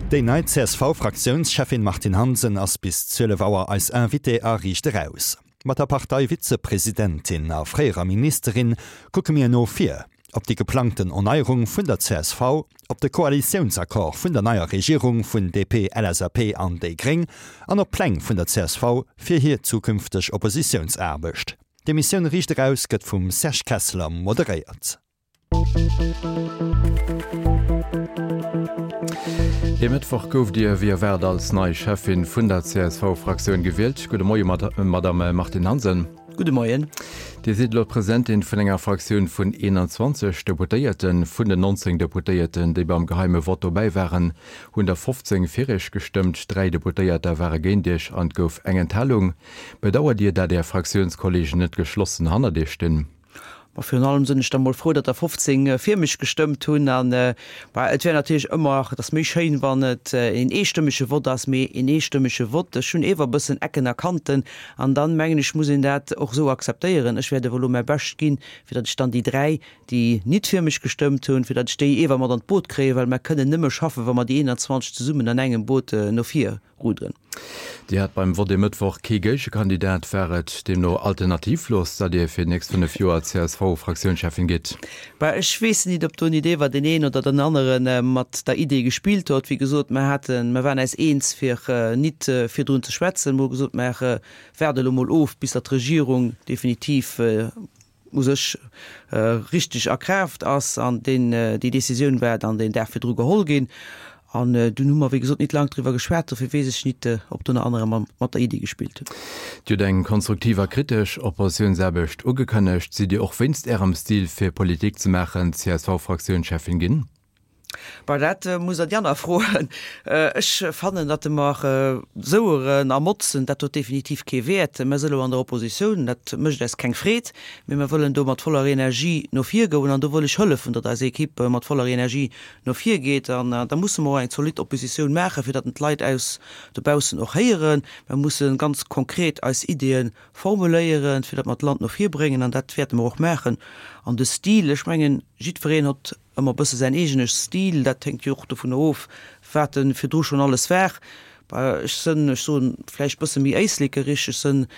Déi nei CSV-Fraktiounscheffin Martine Hansen ass bis 12 Auer eis Invitée a Riicht Eraus. Mat der Partei-Vizepresidentin a fréierer Ministerin kucke mir no vir, op déi geplangten Erneierung vun der csv, op de Koalitiounsaccord vun der neier Regierung vun DP, LSAP an déi Gréng an op d'Pläng vun der csv fir hir zukünfteg Oppositiounsaarbecht. D'Emissioun Riicht Eraus gëtt vum Serge Kessler moderéiert. E Mëttwoch gouft Dir wéi erwaart als nei Cheffin vun der CSV-Fraktioun gewielt. Gudde Moie Madamm Martine Hansen. Gudde Moien. Dir sidd elo d'Presidentin vun enger Fraktioun vun 21 Deputéierten. Vun den 19 Deputéierten, déi beim geheime Vott dobäi waren, hunn der 15 fir Iech gestëmmt, 3 Deputéierter ware géint Iech an et gouf eng Enthalung. Bedauert Dir, dat Är Fraktiounskollegen net geschlossen hannert Iech stinn? Ma virun allem sinn ech da mol frou, datt der 15 fir mech gestëmmt hunn. An bah, et wär natierlech ëmmer, et ass méi schéin, wann et een eestëmmege Vott ass, mee een eestëmmege Vott, ech hunn ewer e bëssen Ecken a Kanten an dann, mengen ech, muss een dat och esou akzeptéieren. Ech wäert ewer elo mäi Bescht ginn, fir datt ech dann déi 3, déi nit fir mech gestëmmt hunn, fir datt ech déi ewer mat an d'Boot kréien, well mer kënnen nëmme schaffen, wa mer déi 21 zesummen an engem Boot no vir ruderen. Dir hat beim Vott e Mëttwoch kee Géigekandidat. War et deemno alternativlos, datt Dir fir déi nächst 5 Joer CSV-Fraktiounscheffin gitt? Bah, ech weess nit, ob do nit ewer deen een oder den anere mat der Idee gespillt hott. Wéi gesot, mer haten, mer waren äis eens fir nit virdrun ze schwätzen. Mer hu gesot, mer waarde elo mol of, bis datt d'Regierung definitiv u sech richteg a Kraaft ass an deen, déi Décisioun war dann deen Dag virdru geholl ginn. An dunn hu mer, wéi gesot, nit laang driwwer geschwat, dofir weess ech nit, ob do nach anerer mat der Iddi gespillt hunn. Dir hutt eng konstruktiv a kritesch Oppositiounsaarbecht ugekënnegt. Sidd Dir och wéinst Ärem Stil fir Politik ze maachen CSV-Fraktiounscheffin ginn? Bah, dat musst Der déi aner froen. Ech fannen, datt mer soueren a motzen, dat huet definitiv kee Wäert. Mer si elo an der Oppositioun, dat mécht eis keng Freed, mee mer wëllen do mat voller Energie no vir goen an do wëll ech hëllefen, datt eis Equipe mat voller Energie no vir geet. An da musse mer och eng zolidd Oppositioun maachen, fir datt en d'Leit aus dobaussen och héieren. Mer musse ganz konkret eis Ideeë formuléieren, fir datt mer d'Land no vir bréngen an dat wäerte mer och maachen. An de Stil, ech mengen, jiddwereen hott Ëmmer e bësse säin eegene Stil, dat hänkt jo och dovunner of, wat e virdru schonn alles war. Bah, ech sënn, ech soen, vläicht bësse méi éislekerich, ech sënn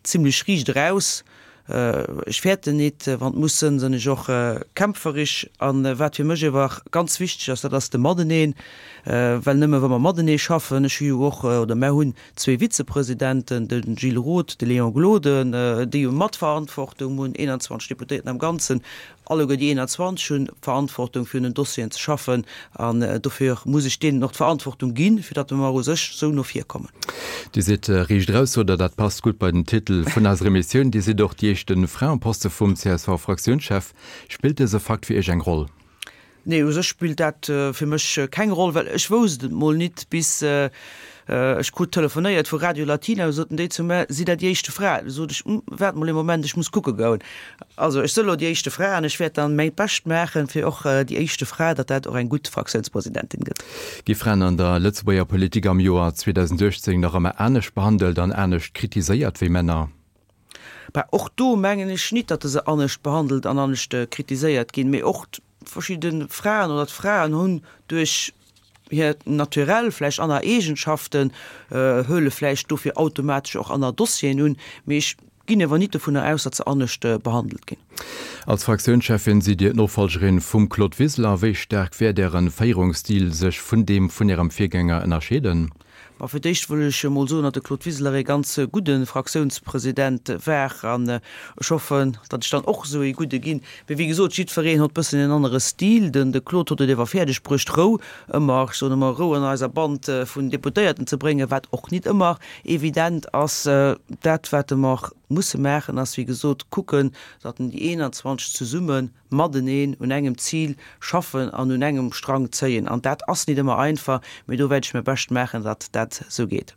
zimlech riicht eraus, ech fäerten nit, wann et muss sënn, sënn ech och kämpferich. An wat fir mech ewer ganz wichteg ass, dat ass de Mateneen, well nëmme wa mer matenee schaffen, ech hu jo och, oder mär hunn zwee Vizepresidenten, de Gilles Roth, de Léon Gloden, déi jo Matverantwortung hunn, 21 Deputéierten am Ganzen, Alleguer déi 21 hunn d'Verantwortung fir un den Dossieren ze schaffen an dofir muss ech deenen och d'Verantwortung ginn, fir datt mer u sech esou no vir kommen. Dir sidd riicht eraus, oder dat passt gutt bei den Titel vun eiser Emissioun. Dir sidd och déi éischte Fra um Poste vum CSV-Fraktiounschef. Spillt dëse Fakt fir Iech eng Roll? Nee, u sech spillt dat fir mech keng Roll, well ech wousst et mol nit, bis ech krut telefonéiert vu Radio Latina, du soten déi zu mär, Sidd Der déi éischte Fra? Du sot ech, Hm, waart mol ee Moment, ech muss kucke goen. Also ech së lo déi éischte Fra an ech wäert dann mäi Bescht maachen, fir och déi éischte Fra, datt dat och eng gutt Fraktiounspresidentin gëtt. Gi Fraen an der Lëtzebuerger Politik am Joer 2018 nach ëmmer anescht behandelt an anescht kritiséiert wéi Männer? Bah, och do mengen ech nit, datt se anescht behandelt an anescht kritiséiert ginn, mee och verschidde Fraen oder d'Fraen hunn duerch hiert Naturell vläicht aner Eegenschaften, huele vläicht dofir automatesch och aner Dossieren un, mee ech ginn ewer nit dovunner aus, datt se anescht behandelt ginn. Als Fraktiounscheffin sidd Dir d'Nofollgerin vum Claude Wiseler. Wéi staark wäert Äre Féierungsstil sech vun deem vun Ärem Virgänger ënnerscheeden? Bon, fir d'éischt wëll ech emol soen, datt de Claude Wiseler ee ganz gudde Fraktiounspresident war an ech hoffen, datt ech dann och esou ee gudde ginn. Mee wéi gesot, jiddwereen hott bëssen en anere Stil. Den de Claude hott et ewer fäerdeg bruecht, Rou ëmmer, ech soen ëmmer Rou an eiser Band vun Deputéierten ze bréngen, wat och nit ëmmer evident ass. Dat wat mer musse maachen, ass wéi gesot kucken, datt en déi 21 zesumme mateneen un engem Zil schaffen an un engem Strang zéien. An dat ass nit ëmmer einfach, mee do wäert ech mäi Bescht maachen, datt dat esou geet.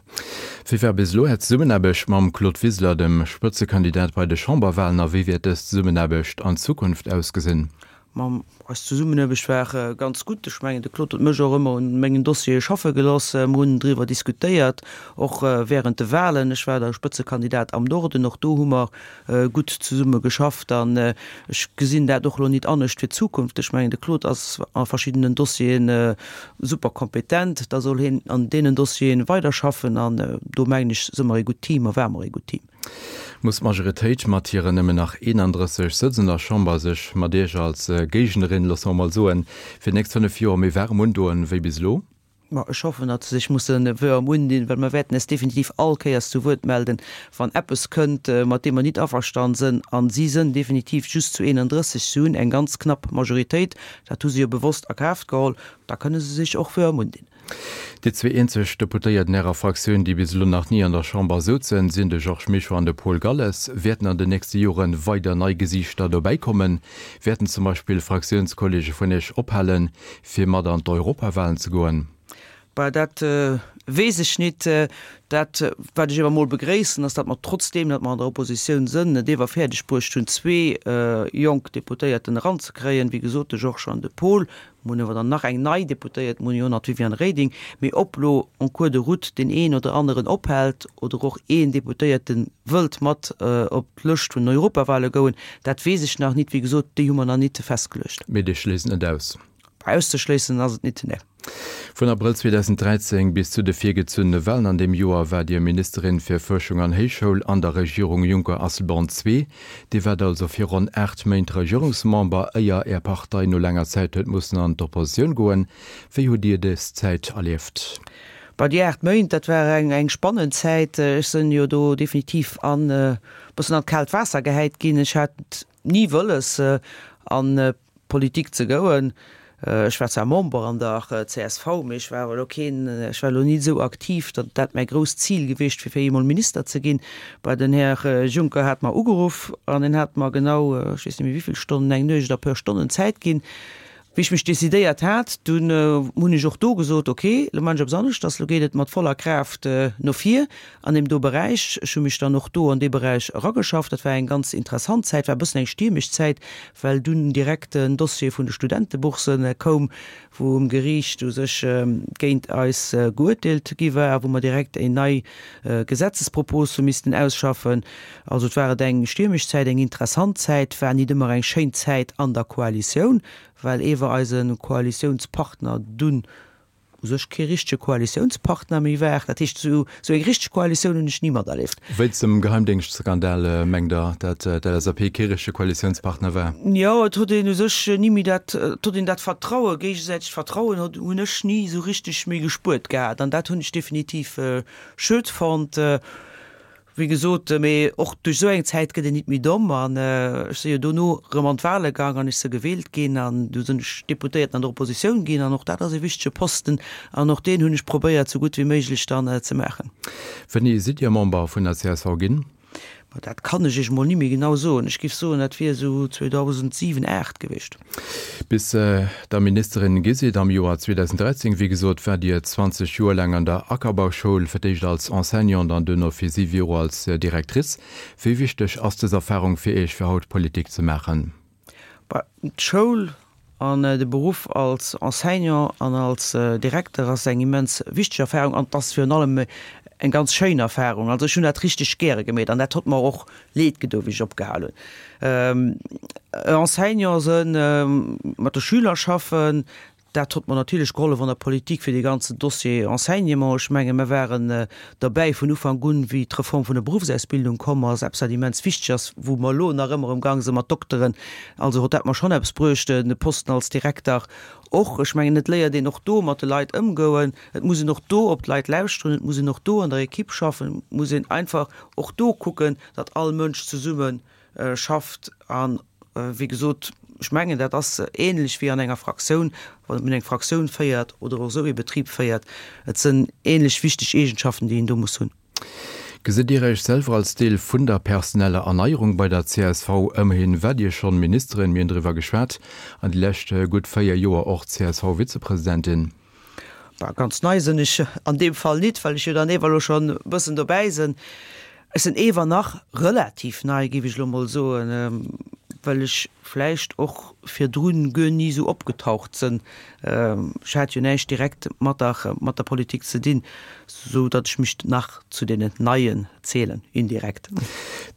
Wéi war bis elo Är Zesummenaarbecht mam Claude Wiseler, dem Spëtzekandidat bei de Chamberwalen, a wéi wäert dës Zesummenaarbecht an Zukunft ausgesinn? Ma eis Zesummenaarbecht war ganz gutt. Ech mengen, de Claude huet mech och ëmmer un mengen Dossiere schaffe gelooss. Mer hunn driwwer diskutéiert, och während de Wahlen. Ech war da Spëtzekandidat am Norden. Och do hu mer gutt zesumme geschafft. An ech gesinn dat och elo nit anescht fir d'Zukunft. Ech mengen, de Claude ass a verschiddenen Dossiere super kompetent. Da soll hien an deenen Dossiere weiderschaffen. An do mengen ech, si mer ee gutt Team a ware mer ee gutt Team. Muss d'Majoritéit mat hiren nëmmen nach 31 Sëtz an der Chamber sech mat Iech als Géignerin, loosse mer mol soen, fir déi nächst 5 Joer méi waarem undoen wéi bis elo? Ma ech hoffen, datt se sech musse wëerm undinn, well mer wäerten es definitiv all Kéiers zu Wuert melden, wann eppes kënnt, mat deem mer nit averstann sënn. A si sënn definitiv just zu 31, si hunn eng ganz knapp Majoritéit, dat hu se jo bewosst a Kraaft geholl, da kënne se sech och wëerm undinn. Déi zwee eenzeg Deputéierten Ärer Fraktioun, déi bis elo nach ni an der Chamber souzen, sinn de Georges Mischo an de Paul Galles. Wäerten an den nächste Jore weider nei Gesiichter dobäikommen? Wäerten zum Beispill Fraktiounskolleege vun Iech ophalen, fir mat an d'Europawalen ze goen? Bah, dat weess ech nit. Dat, wat ech ewer mol begréissen, ass, datt mer trotzdeem, datt mer an der Oppositioun sënn, et ewer fäerdeg bruecht hunn, zwee jonk Deputéierten eranzekréien, wéi gesot, de Georges an de Paul. Mir hunn awer dann nach eng nei Deputéiert, mir hunn jo nach d'Viviane Reding. Mee ob lo en cours de route deen een oder aneren ophält oder och een Deputéierte wëllt mat op d'Lëscht vun den Europawale goen, dat weess ech nach nit. Wéi gesot, déi hu mer nach nit festgeluecht. Mee Dir schléisst net aus? Auszeschléissen ass et nit, nee. Vun Abrëll 2013 bis zu de virgezunnene Walen an deem Joer war Dir Ministerin fir Fuerschung an Héichschoul an der Regierung Juncker-Asselborn ii. Dir waart also fir ronn 8 Méint Regierungsmember, éier Är Partei no laanger Zäit huet mussen an d'Oppositioun goen. Wéi hutt Dir dës Zäit erlieft? Bah, déi 8 Méint, dat war eng eng spannend Zäit. Ech sënn jo do definitiv an e bëssen an d'kaalt Waasser gehäit ginn. Ech hat ni wëlles an Politik ze gouen. Ech war zwar Member an der csv, mee ech war awer elo keen, ech war elo nit esou aktiv, datt dat mäi grousst Zil gewiescht wier, fir eemol Minister ze ginn. Bah, den Här Juncker hat mer ugeruff an en hat mer genau, ech weess net méi wéivill Stonnen, eng Nuecht a puer Stonnen Zäit ginn. Wéi ech mech decidéiert hat, dunn hunn ech och do gesot, ok, elo man ech eppes aneschters, elo geet et mat voller Kraaft no vir an deem do Beräich. Ech hu mech dann och do an dee Beräich erageschafft. Dat war eng ganz interessant Zäit, war e bëssen eng stiermesch Zäit, well dunn direkt den Dossier vun de Studentebourse koum, wou um Geriicht u sech géint eis geuerteelt gi war a wou mer direkt eng nei Gesetzespropos hu missten ausschaffen. Also et war et eng stiermesch Zäit, eng interessant Zäit, war nit ëmmer eng schéin Zäit an der Koalitioun, well ewer eise Koalitiounspartner dunn u sech kee richtege Koalitiounspartner méi war. Dat heescht, esou eng richteg Koalitioun hunn ech ni materlieft. Wéinst dem Geheimdéngschtskandal, mengt Der, dat d'LSAP kee richtege Koalitiounspartner war? Jo, et huet een u sech ni méi dat, et huet een dat Vertrauen, géigesäitegt Vertrauen huet, hunn ech ni esou richteg méi gespuert gehat an dat hunn ech definitiv schued fonnt. Wéi gesot, mee och duerch esou eng Zäit gëtt een nit méi domm. An ech si jo dono erëm an d'Wale gaang an ech si gewielt ginn an du sinn ech Deputéierten an der Oppositioun ginn an och dat ass e wichtege Posten an och deen hunn ech probéiert sou gutt wéi méiglech dann ze maachen. Wéini sidd Dir Member vun der csv ginn? Ma dat kann ech Iech mol ni méi genau soen. Ech giff soen, dat wier esou 2007, 8 gewiescht. Bis Der Ministerin gi sidd am Joer 2013, wéi gesot, waart Dir 20 Joer laang an der Ackerbauschoul, fir d'éischt als Enseignante an duerno fir siwe Joer als Directrice. Wéi wichteg ass dës Erfarung fir Iech, fir haut Politik ze maachen? Bah, d'Schoul An de Beruff als Enseignant an als Direkter ass eng immens wichteg Erfahrung an et ass virun allem eng ganz schéin Erfahrung. Also ech hunn dat richteg gäre gemeet an dat hott mer och leed gedo wéi ech opgehal hunn. Enseignant sënn, mat de Schüler schaffen, dat hott mer natierlech gehollef an der Politik fir dee ganzen Dossier Enseignement. Ech menge mer waren derbäi vun Ufank un, wéi d'Reform vun der Beruffsausbildung komm ass, eppes wat immens wichteg ass, wou mer elo nach ëmmer um Gang sinn mat Dokteren. Also hott dat mer schonn eppes bruecht, de Posten als Direkter och. Ech mengen, et léiert een och do mat de Leit ëmgoen, et muss een och do op d'Leit lauschteren, et muss een och do an der Equipe schaffen, et muss een einfach och do kucken, datt all Mënsch zesumme schafft. A wéi gesot, ech mengen, dat ass ähnlech wéi an enger Fraktioun, wann een eng Fraktioun féiert oder och esou ee Betrib féiert, et sënn ähnlech wichteg Eegenschaften, déi een do muss hunn. Gesitt Dir Iech selwer als Deel vun der personeller Erneierung bei der csv? Ëmmerhin waart Dir schonn Ministerin, mir hunn driwwer geschwat, an déi lescht gutt 4 Joer och CSV-Vizepresidentin. Bah, ganz nei sinn ech an deem Fall nit, well ech jo dann ewer elo schonn e bëssen dobäi sinn. Ech sinn ewer nach relativ nei, géif ech elo mol soen, Well ech vläicht och virdrun guer ni esou opgetaucht sënn. Ech hat jo näischt direkt mat der mat der Politik ze dinn, sou datt ech mech nach zu deenen Neien zielen, indirekt.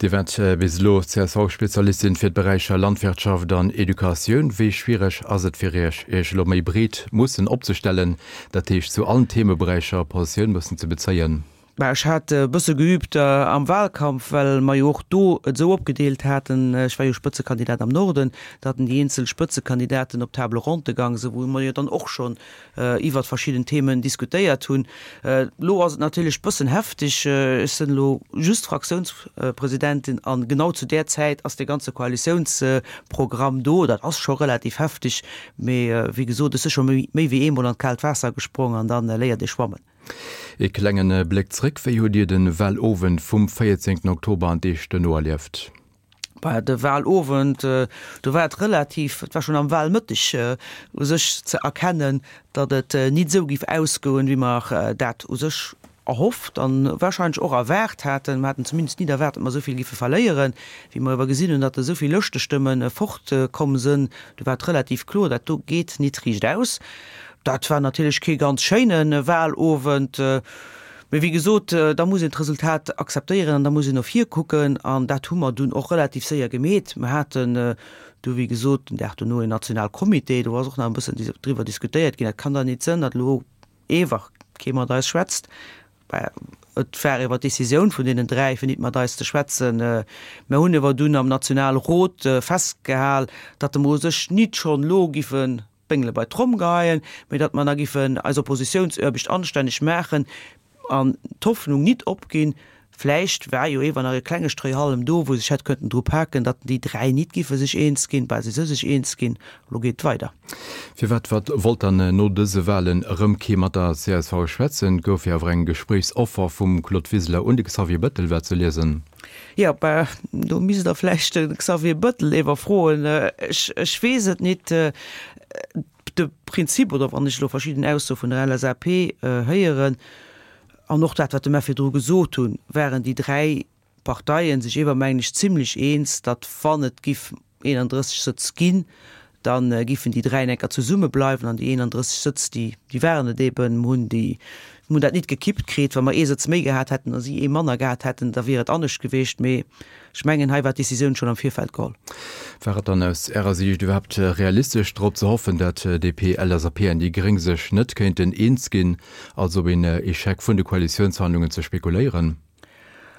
Dir waart bis elo CSV-Spezialistin fir d'Beräicher Landwirtschaft an Educatioun. Wéi schwiereg ass et fir Iech, Iech elo méi breet mussen opzestellen, dat heescht zu allen Themeberäicher Positioun mussen ze bezéien? Bah, ech hat e bësse geübt am Wahlkampf, well mer jo och do et esou opgedeelt haten, ech war jo Spëtzekandidat am Norden, datt déi eenzel Spëtzekandidaten op Table ronde gang sinn, wou mer jo dann och schonn iwwert verschidden Themen diskutéiert hunn. Elo ass et natierlech bëssen heftig. Ech sinn elo just Fraktiounspresidentin an genau zu där Zäit ass dee ganze Koalitiounsprogramm do. Dat ass scho relativ heftig, mee wéi gesot, ech si scho méi wéi eemol an d'kaalt Waasser gesprong an da léiert ee schwammen. Ee klengen Bléck zréck, Wéi hutt Dir de Wahlowend vum 14 Oktober an d'Deeg duerno erlieft? Bah, de Wahlowend, do war et relativ, et war schonn am Wahlmëtteg u sech ze erkennen, datt et nit esou giff ausgoen, wéi mer dat u sech erhofft an wahrscheinlech och erwaart haten. Mer haten zumindest nit erwaart, datt mer esou vill giffe verléieren. Wéi mer ewer gesinn hunn, datt esou vill Lëschtestëmme fort komm sënn, do war et relativ kloer, dat do geet nit riicht aus. Dat war natierlech kee ganz schéine Wahlowend, mee wéi gesot, da muss een d'Resultat akzeptéieren an da muss een no vir kucken an dat hu mer dunn och relativ séier gemeet. Mer haten du wéi gesot den Dag dono een Nationalcomité, do ass och nach e bëssen driwwer diskutéiert ginn, dat kann dann nit sënn, datt elo ewer kee mat eis schwätzt. Et war ewer d'Decisioun vun deenen 3, fir nit mat eis ze schwätzen. Mer hunn ewer dunn am Nationalrot festgehal, datt mer u sech nit schonn elo giffen d'Béngele bei d'Tromm geheien, mee datt mer da giffen eis Oppositiounsaarbecht anstänneg maachen an d'Hoffnung nit opginn, vläicht war jo ewer nach e klenge Stréihallem do, wou sech hätt könnten dru paken, datt déi 3 nit giffe sech eens ginn. Bah, si se sech eens ginn, elo geet et weider. Firwat wat wollt dann no dëse Wahlen erëm kee mat der csv schwätzen? Et gouf jo awer eng Gespréichsoffer vum Claude Wiseler un de Xavier Bettel, war ze liesen. Jo, bah, do misst Der vläicht de Xavier Bettel ewer froen. Ech, ech weess et nit. De Prinzip, oder wann ech elo verschidden Aussoe vun der LSAP héieren, an och dat, wat de mer virdru gesot hunn, waren déi 3 Parteien sech ewer, mengen ech, zimlech eens, datt wann et giff 31 Sëtz ginn, da giffen déi 3 enker zesumme bleiwen an déi 31 Sëtz, déi, déi waren et eben, mer hunn déi, mer hunn dat nit gekippt kritt. Wa mer ee Sëtz méi gehat hätten a si ee manner gehat hätten, da wier et anescht gewiescht. Mee ech mengen, hei war d'Decisioun schonn am Virfeld geholl. War et dann aus Ärer Siicht iwwerhaapt realistesch, drop ze hoffen, dat DP, LSAP an déi Gréng sech net kéinten eens ginn, also op een Echec vun de Koalitiounsverhandlungen ze spekuléieren?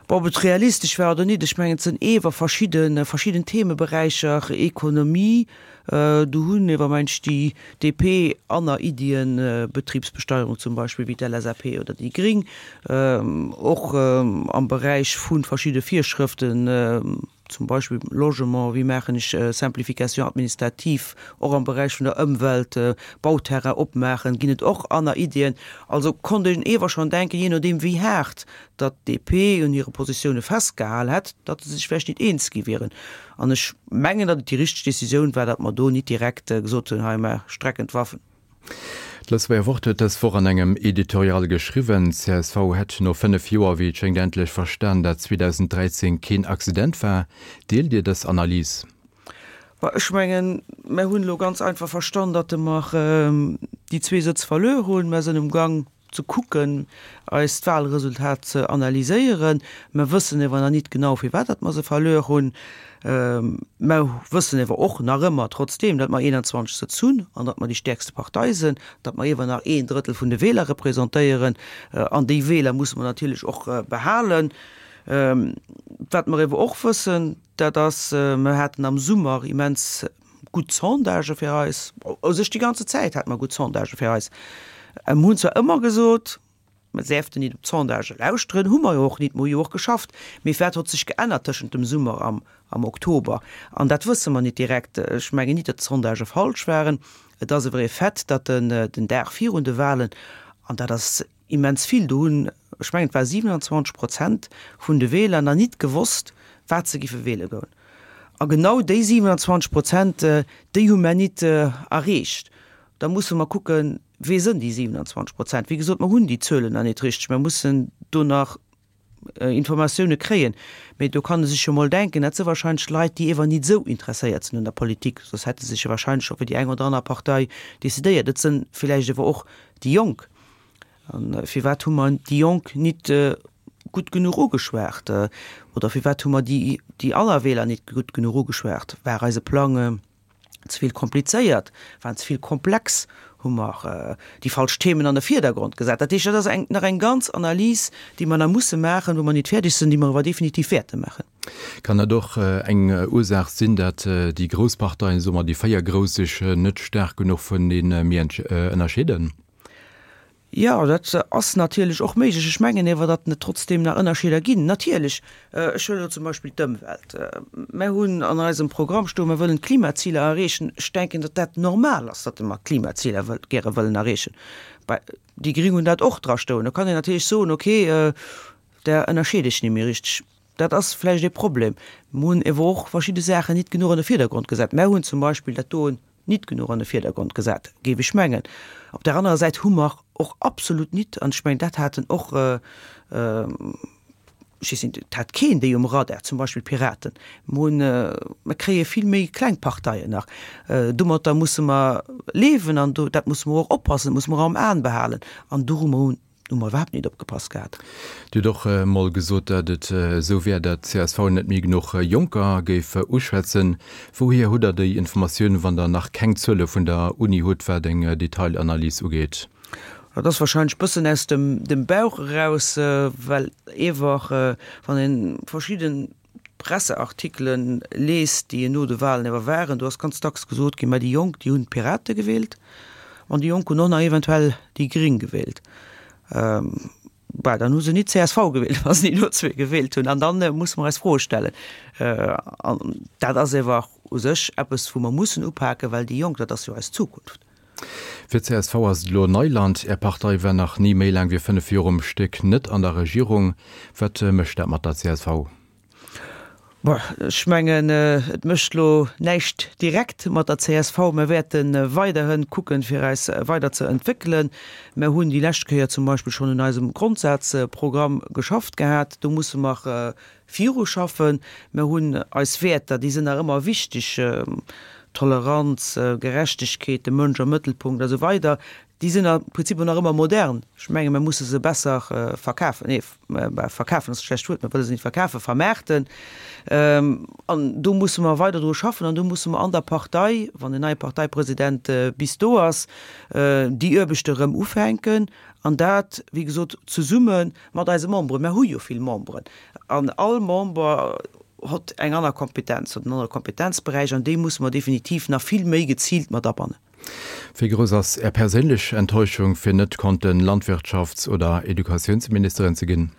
Bon, ob et realistesch war oder nit, ech mengen, et sënn ewer verschidde, verschidden Themeberäicher, Ekonomie, do hunn ewer, meng ech, déi DP aner Iddien, Betribsbesteuerung zum Beispill, wéi d'LSAP oder déi Gring, och am Beräich vu verschidde Virschrëften, zum Beispill Logement, wéi maachen ech Simplification administrative, och am Beräich vun der Ëmwelt, Bauterrain opmaachen, ginn et och aner Iddien. Also konnt een ewer schonn denken, jee nodeem wéi haart datt d'DP un hire Positioune festgehal hätt, datt se sech vläicht nit eens gi wieren. An ech mengen, datt et déi richteg Decisioun war, datt mer do nit direkt gesot hunn, hei mer strecken d'Waffen. D'Lëtzebuerger Wort huet dës Woch an engem Editorial geschriwwen, csv hätt no 5 Joer, wéi et schéngt, endlech verstan, dat 2013 keen Accident war. Deelt Dir dës Analys? Bah, ech mengen, mer hunn elo ganz einfach verstan, datt mer déi zwee Sëtz verluer hunn. Mer sënn um Gang ze kucken, eist Wahlresultat ze analyséieren. Mer wëssen ewer nach nit genau, firwat datt mer se verluer hunn. Mer wëssen ewer och nach ëmmer trotzdeem, datt mer 21 Sëtz hunn an datt mer déi stäerkste Partei sënn, datt mer ewer nach een Drëttel vun de Wähler representéieren. An déi Wähler musse mer natierlech och behalen. Wat mer ewer och wëssen, dat ass, mer haten am Summer immens gutt Sondagë fir eis, u sech déi ganze Zäit hate mer gutt Sondagë fir eis. Mer hunn zwar ëmmer gesot, mer däerften nit op d'Sondagë lauschteren, hu mer jo och nit, mer hu jo och geschafft, mee wat hott sech geännert tëschent dem Summer am am Oktober? An dat wësse mer nit direkt. Ech mengen nit, datt d'Sondagë falsch waren. Et ass ewer ee Fait, datt den den Dag virun de Wahlen, an dat ass immens vill, do hunn, ech mengen et war 27 Prozent vun de Wähler nach nit gewosst, wat se giffe wähle goen. A genau déi 27 Prozent, déi hu mer nit erreecht. Da musse mer kucken, Wee sënn déi 27 Prozent? Wéi gesot, mer hunn déi Zuelen nach nit richteg. Mer mussen do nach. Informatioune kréien. Mee do kann e sech jo mol denken, dat si wahrscheinlech Leit, déi ewer nit esou interesséiert sinn un der Politik, soss hätte se sech jo wahrscheinlech scho fir déi eng oder aner Partei decidéiert. Et sinn villäicht ewer och déi Jonk. A firwat hu mer déi Jonk nit gutt genuch ugeschwat? Oder firwat hu mer déi déi aner Wieler nit gutt genuch ugeschwat? War eise Plang ze vill komplizéiert? War en ze vill komplex? Hu mer déi falsch Themen an de Virdergrond gesat? Dat heescht, dat ass eng nach eng ganz Analys, déi mer nach musse maachen, wou mer nit fäerdeg sinn, déi mer awer definitiv wäerte maachen. Kann dat och eng Ursaach sinn, dat déi grouss Parteien, soe mer déi 4 grouss, sech net staark genuch vunenee méi ënnerscheeden? Jo, dat ass natierlech och méiglech. Ech mengen ewer, datt et trotzdeem nach Ënnerscheeder ginn. Natierlech, ech huelen elo zum Beispill d'Ëmwelt. Mär hunn an eisem Programm stoen, mer wëllen d'Klimaziler erreechen. Ech denken, datt dat normal ass, datt mer d'Klimaziler gäre wëllen erreechen. Déi Gring hunn dat och drastoen. Do kann een natierlech soen, okay, där ënnerscheede ech net méi richteg. Dat ass vläicht ee Problem. Mer hunn ewer och verschidde Saachen nit genuch an de Virdergrond gesat. Mär hunn zum Beispill dat doen, nit genuch an de Virdergrond gesat, géif ech mengen. Op där anerer Säit hu mer och absolut nit, an ech mengen, dat haten och, ech weess nit, et hat keen déi um Radar, zum Beispill d'Piraten. Mer hunn, mer kréie vill méi kleng Parteien nach. Domatter musse mer liewen an do, dat musse mer och oppassen, dat musse mer am Aen behalen. An do hu mer Hu mer iwwerhaapt nit opgepasst gehat. Dir hutt och emol gesot, datt et esou wär, datt csv net méi genuch Jonker géif uschwätzen. Wouhier hutt Der déi Informatioun, wann Der nach keng Zuele vun der Uni hutt, wat eng Detailanalys ugeet? Dat ass wahrscheinlech bëssen aus dem Bauch eraus, well ewer wann ee verschidden Presseartikelen liest, déi no de Wahlen ewer waren, do ass ganz dacks gesot ginn, mä déi Jonk, déi hunn d'Pirate gewielt an déi Jonk hunn och nach eventuell déi Gring gewielt. Bah, dann hu se nit csv gewielt, wa se déi do zwee gewielt hunn. An dann musse mer eis Froe stellen. An dat ass ewer u sech eppes, wou mer mussen upaken, well déi Jonk, dat ass jo eis Zukunft. Fir csv ass et elo Neiland. Är Partei war nach ni méi laang wéi 5 Joer um Stéck net an der Regierung. Wat mécht dat mat der csv? Bon, ech mengen, et mécht elo näischt direkt mat der csv. Mir wäerte weiderhi kucken, fir eis weider ze entwéckelen. Mir hunn déi lescht Kéier zum Beispill schonn un eisem Grondsazprogramm geschafft gehat. Do musse mer Viruschaffen. Mir hunn eis Wäerter, déi sinn nach ëmmer wichteg, Toleranz, Gerechtegkeet, de Mënsch am Mëttelpunkt a sou weider, déi sinn am Prinzip och nach ëmmer modern. Ech menge mir musse se besser verkafen, nee, verkafen ass e schlecht Wuert, mir wëlle se net verkafen, vermaarten. An do musse mer weider dru schaffen an do musse mer an der Partei, wann en neie Parteipresident bis do ass, déi Aarbechte erëm ufänken an dat, wéi gesot, zesumme mat eise Memberen. Mer hu jo vill Memberen an all Member hott eng aner Kompetenz, huet en anere Kompetenzberäich an déi musse mer definitiv nach vill méi geziilt mat abannen. Wéi grouss ass Är perséinlech Enttäuschung, fir net konnten Landwirtschafts oder Educatiounsministerin ze ginn?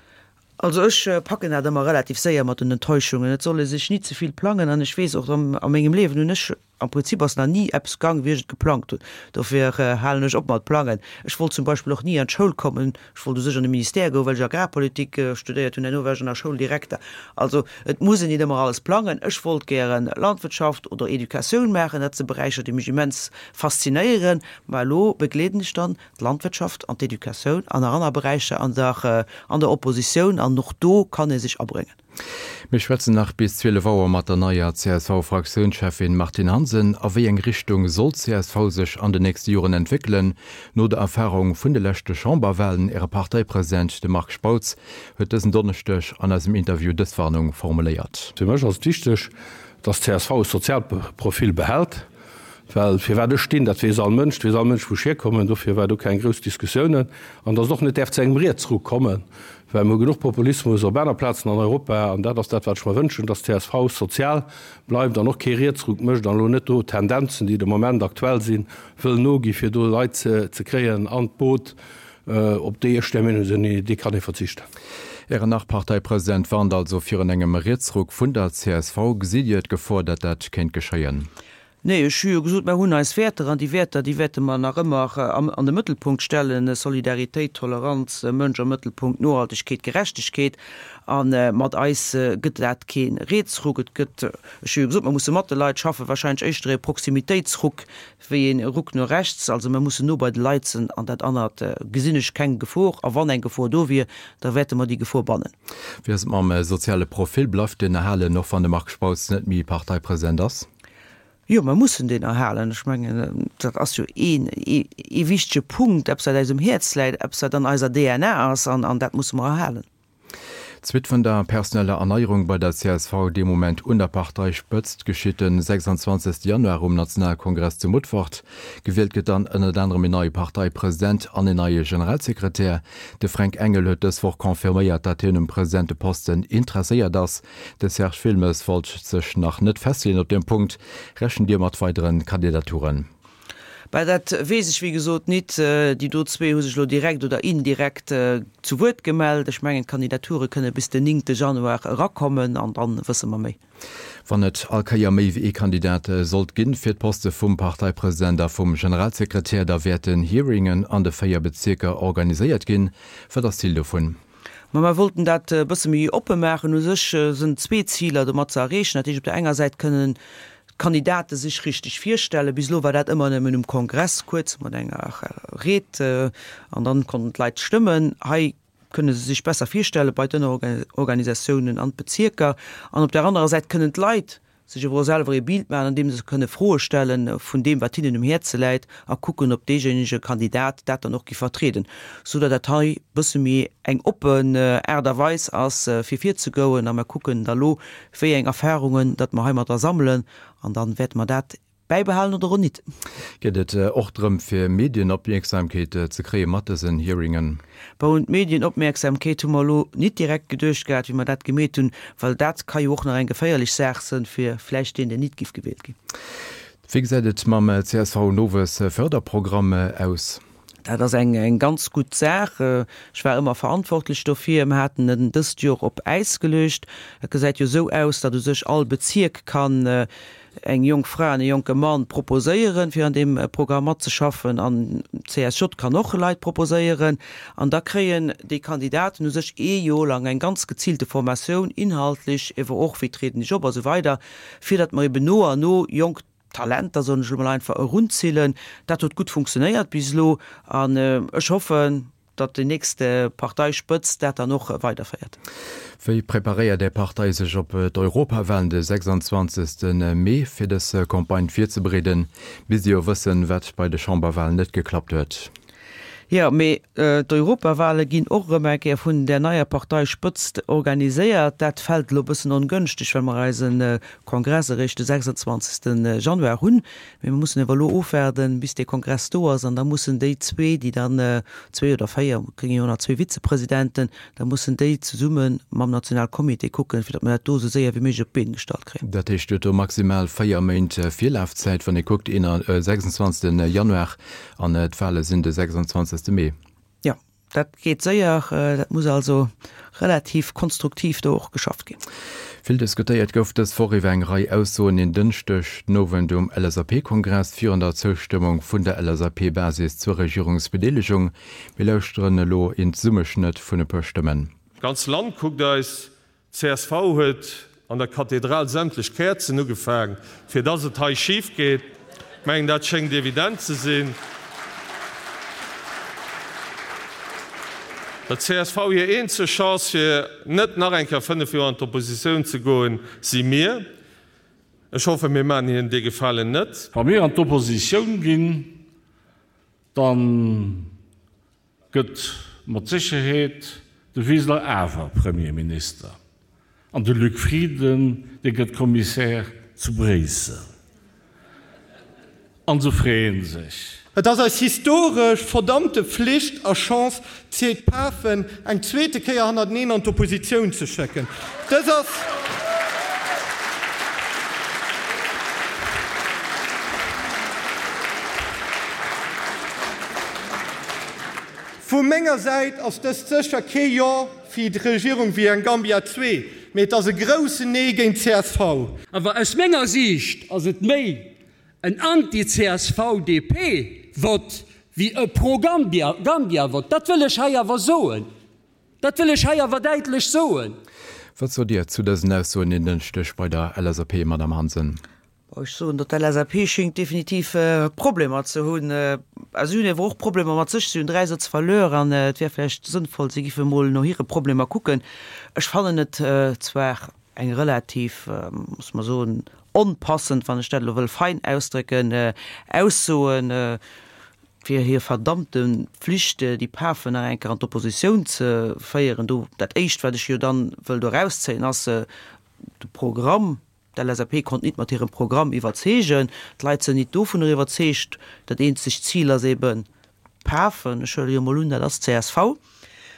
Also ech packen dat ëmmer relativ séier mat den Enttäuschungen. Et soll ee sech ni ze vill plangen an ech weess och a mengem Liewen hunn ech Am Prinzip ass nach ni eppes gang, wéi ech et geplangt hunn. Dofir halen ech op mat plangen. Ech wollt zum Beispill och ni an d'Schoul kommen. Ech wollt u sech an de Ministère goen, well ech Agrarpolitik studéiert hunn. Herno war ech an der Schoul Direkter. Also et muss een nit ëmmer alles plangen. Ech wollt gären Landwirtschaft oder Educatioun maachen. Dat si Beräicher, déi mech immens faszinéieren. Mä elo begleeden ech dann d'Landwirtschaft an d'Educatioun an nach aner Beräicher an der an der Oppositioun. An och do kann ee sech abréngen. Mir schwätzen nach bis 12 Auer mat der neier CSV-Fraktiounscheffin Martine Hansen. A wéi eng Richtung soll d'CSV sech an den nächste Joren entwéckelen? No der Erfarung vun de leschte Chamberwalen, Äre Parteipresident, de Marc Spautz, huet dësen Donneschdeg an eisem Interview dës Warnung formuléiert. Fir mech ass et wichteg, dass d'CSV e Sozialprofil behält, well firwat ech stinn, dat weess all Mënsch, et weess all Mënsch wou ech hierkommen, dofir war do keng grouss Diskussiounen, an dass et och net däerf zu engem Rietsruck kommen, well mir hu genuch Populismus op aner Plazen an Europa, an dat ass dat wat ech mer wënschen, dass d'CSV sozial bleift an och kee Rietsruck mécht an elo net do Tendenzen, déi de Moment aktuell sinn, wëll nogi fir do Leit ze kréien an d'Boot, op déi ech der Meenung sinn, déi kann ee verzichten. Ären Nach-Parteipresident warnt also virun engem Rietsruck vun der csv. Gesitt Dir d'Gefor, datt dat kéint geschéien? Nee, ech hu jo gesot, mer hunn eis Wäerter an déi Wäerter, déi wäerte mer nach ëmmer an de Mëttelpunkt stellen, Solidaritéit, Toleranz, Mënsch am Mëttelpunkt, Nohaltegkeet, Gerechtegkeet. A mat eis gëtt dat kee Rietsruck. Et gëtt, ech hu jo gesot, mer musse mat de Leit schaffen, wahrscheinlech éischter e Proximitéitsruck wéi e Ruck no rechts. Also mer mussen no bei de Leit sinn an dat anert gesinn ech keng Gefor. A wann eng Gefor do wier, da wäerte mer déi Gefor bannen. Wéi ass et mam soziale Profil? Bleift deen erhalen, och wann de Marc Spautz net méi Parteipresident ass? Jo, mer mussen deen erhalen. Ech mengen, dat ass jo een, ee wichtege Punkt, eppes, wat eis um Häerz läit, eppes, wat an eiser DNA ass, an, an dat musse mer erhalen. D'Suite vun der personeller Erneierung bei der csv, dee Moment un der Parteispëtzt, geschitt de 26 Januar um Nationalkongress zu Mutfert. Gewielt gëtt dann ënnert anerem een neie Parteipresident an een neie Generalsekretär. De Fränk Engel huet dës Woch confirméiert, datt hien um Presidenteposten interesséiert ass. De Serge Wilmes wollt sech nach net festleeën op deem Punkt. Rechent Dir mat weidere Kandidaturen? Bah, dat weess ech wéi gesot nit. Déi do zwee hu sech elo direkt oder indirekt zu Wuert gemellt. Ech mengen, d'Kandidature kënne bis den néngte Januar erakommen an dann wësse mer méi. Wann et all Kéier méi wéi ee Kandidat sollt ginn fir d'Poste vum Parteipresident a vum Generalsekretär, da wäerten Hearingen an de 4 Bezierker organiséiert ginn. Wat ass d'Zil dovun? Ma mer wollten dat e bësse méi oppe maachen. U sech sënn zwee Ziler domat ze erreechen. Dat heescht, op der enger Säit kënnen d'Kandidate sech richteg virstellen. Bis elo war dat ëmmer nëmmen um Kongress, kuerz mat enger Ried, an dann konnten d'Leit stëmmen. Hei kënne se sech besser virstelle bei d'Ënnerorganisatiounen an d'Bezierker. An op der anerer Säit kënnen d'Leit sech awer och selwer ee Bild maachen, andeem se kënne Froe stelle vun deem, wat hinnen um Häerze läit a kucken, ob deejéinege Kandidat dat dann och gi vertrieden, sou datt dat hei bësse méi eng oppen Aart a Weis ass, fir virzegouen. A mer kucken da lo, wéi eng Erfahrungen datt mer heimadder sammelen, an da wäerte mer dat bäibehalen oder och nit. Geet et och drëm, fir Medienopmierksamkeet ze kréie mat dësen Hearingen? Bon, un d'Medienopmierksamkeet hu mer elo nit direkt geduecht gehat, wéi mer dat gemeet hunn, well dat ka jo och nach eng geféierlech Saach sënn fir vläicht deen, deen nit giff gewielt ginn. Wéi gesäit et mam CSV-Nowuessförderprogramm aus? Dat ass eng ganz gutt Saach. Ech war ëmmer verantwortlech dofir. Mer haten en dëst Jor op Äis geluecht. Et gesäit jo esou aus, datt u sech all Bezierk kann eng jonk Fra an e jonke Mann proposéieren, fir an deem Programm matzeschaffen. An d'CSJ kann och Leit proposéieren. An da kréien déi Kandidaten u sech ee Jor lang eng ganz geziilte Formatioun, inhaltlech, ewer och, wéi trieden ech op a sou weider, fir datt mer eben no an no jonk Talenter, soen ech elo mol einfach, erunzillen. Dat huet gutt funktionéiert bis elo an ech hoffen, datt déi nächst Parteispëtzt dat dann och weiderféiert. Wéi preparéiert Är Partei sech op d'Europawahlen de 26 Mee? Fir dës Campagne virzebereeden, misst Dir jo wëssen, wat bei de Chamberwahlen net geklappt huet. Jo, mee d'Europawale ginn och erëm eng Kéier vun där neier Parteispëtzt organiséiert. Dat fält elo e bëssen ongënschteg, well mer eise Kongress eréischt de 26 Januar hunn. Mee mer mussen awer elo ofwaarden, bis dee Kongress do ass, an da mussen déi zwee, déi dann, zwee oder véier, mer kréien jo nach zwee Vizepresidenten, da mussen déi zesumme mam Nationalcomité kucken, fir datt mer dat do esou séier wéi méiglech op d'Been gestallt kréien. Dat heescht, Dir hutt do maximal véier Méint Virlafzäit, wann ee kuckt, 26. Januar an d'Wale sinn de 26. Mee. Jo. Dat geet séier, dat muss also relativ konstruktiv do och geschafft ginn. Vill diskutéiert gouf dës Woch iwwer eng Rei Aussoen en Dënschdeg den Owend um LSAP-Kongress virun der Zoustëmmung vun der LSAP-Basis zur Regierungsbedeelegung. Mir lauschteren elo een Zesummeschnëtt vun e puer Stëmmen. D'ganz Land kuckt eis. Csv huet an der Kathedral sämtlech Käerzen ugefaang, fir dass et hei schif geet. Ech mengen, dat schéngt evident ze sinn. Der csv hir eenzeg Chance, fir net nach eng Kéier 5 Joer an d'Oppositioun ze goen, si mir. Ech hoffen, mir maachen hinnen dee Gefalen net. Wa mir an d'Oppositioun ginn, dann Gëtt mat Sécherheet de Wiseler awer Premierminister an de Luc Frieden, dee gëtt Commissaire zu Bréissel. An se freeën sech. Et ass eis historesch verdammte Flicht a Chance, d'CPafen eng zweete Kéier hannerteneen an d'Oppositioun ze schécken. Dës ass. Vu menger Säit ass dëst sécher kee Jo fir d'Regierung wéi eng Gambia 2, mee et ass e groussen Nee géint csv. Awer aus menger Siicht ass et méi. en Anti-CSV-DP-Vott wéi e Pro-Gambia-Vott. Dat wëll ech hei awer soen. Dat wëll ech hei awer däitlech soen. Wat sot Dir zu dësen Aussoen en Dënschdeg bei der LSAP, Madamm Hansen? Ech soen, datt d'LSAP schéngt definitiv Problemer ze hunn. A si hunn ewer och Problemer mat sech. Si hunn 3 Sëtz verluer an et wär vläicht sënnvoll, si giffe mol no hire Problemer kucken. Ech fannen et zwar eng relativ, muss mer soen, onpassend, wann ech dat elo wëll fein ausdrécken, Aussoen, fir hir verdammte Pflicht, déi Pafen nach eng Kéier an d'Oppositioun ze féieren. Do, dat Éischt, wat ech jo dann wëll do erauszéien, ass de Programm. D'LSAP konnt nit mat hirem Programm iwwerzeegen. D'Leit sënn nit dovunner iwwerzeegt. Dat eenzegt Zil ass eben d'Pafen, ech huele jo mol un, dat ass csv,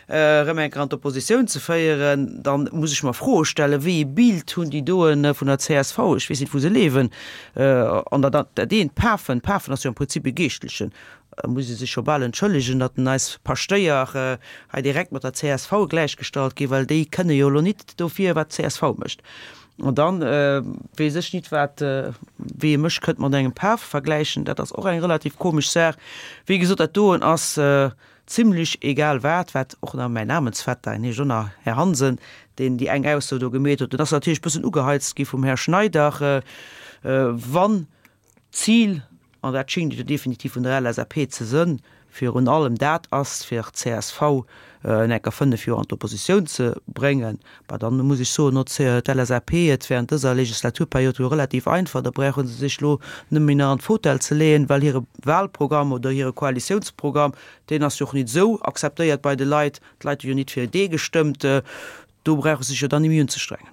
erëm eng Kéier an d'Oppositioun ze féieren. Dann muss ech mer Froe stellen, wéi ee Bild hunn déi doen vun der csv? Ech weess nit, wou se leewen. An dat dat eent, d'Pafen, d'Pafen ass jo am Prinzip e Geeschtlechen, da muss ee sech scho bal entschëllegen, datt en eis Paschtéier hei direkt mat der csv gläichgestallt ginn, well déi kënne jo elo nit dofir, wat d'CSV mécht. An dann weess ech nit wat, wéi ee mech kënnt mat engem Paf vergläichen, dat ass och eng relativ komesch Saach. Wéi gesot, dat doen ass zimlech egal wat, wat och nach mäin Namensvetter, en heescht och nach Här Hansen, deen déi eng Ausso do gemeet huet, den ass natierlech bëssen ugeheizt gi vum Här Schneider, wann D'Zil, an dat schéngt et jo definitiv vun der LSAP ze sënn, virun allem dat ass, fir csv en enker 5 Joer an d'Oppositioun ze bréngen, bah dann muss ech soen, hott d'LSAP et während dëser Legislaturperiod jo relativ einfach, da brauche se sech elo nëmme méi nach an d'Fotell ze leeën, well hire Wahlprogramm oder hire Koalitiounsprogramm, deen ass jo och nit esou akzeptéiert bei de Leit, d'Leit hu jo nit fir dee gestëmmt. Do brauch e sech jo dann ni méi unzestrengen.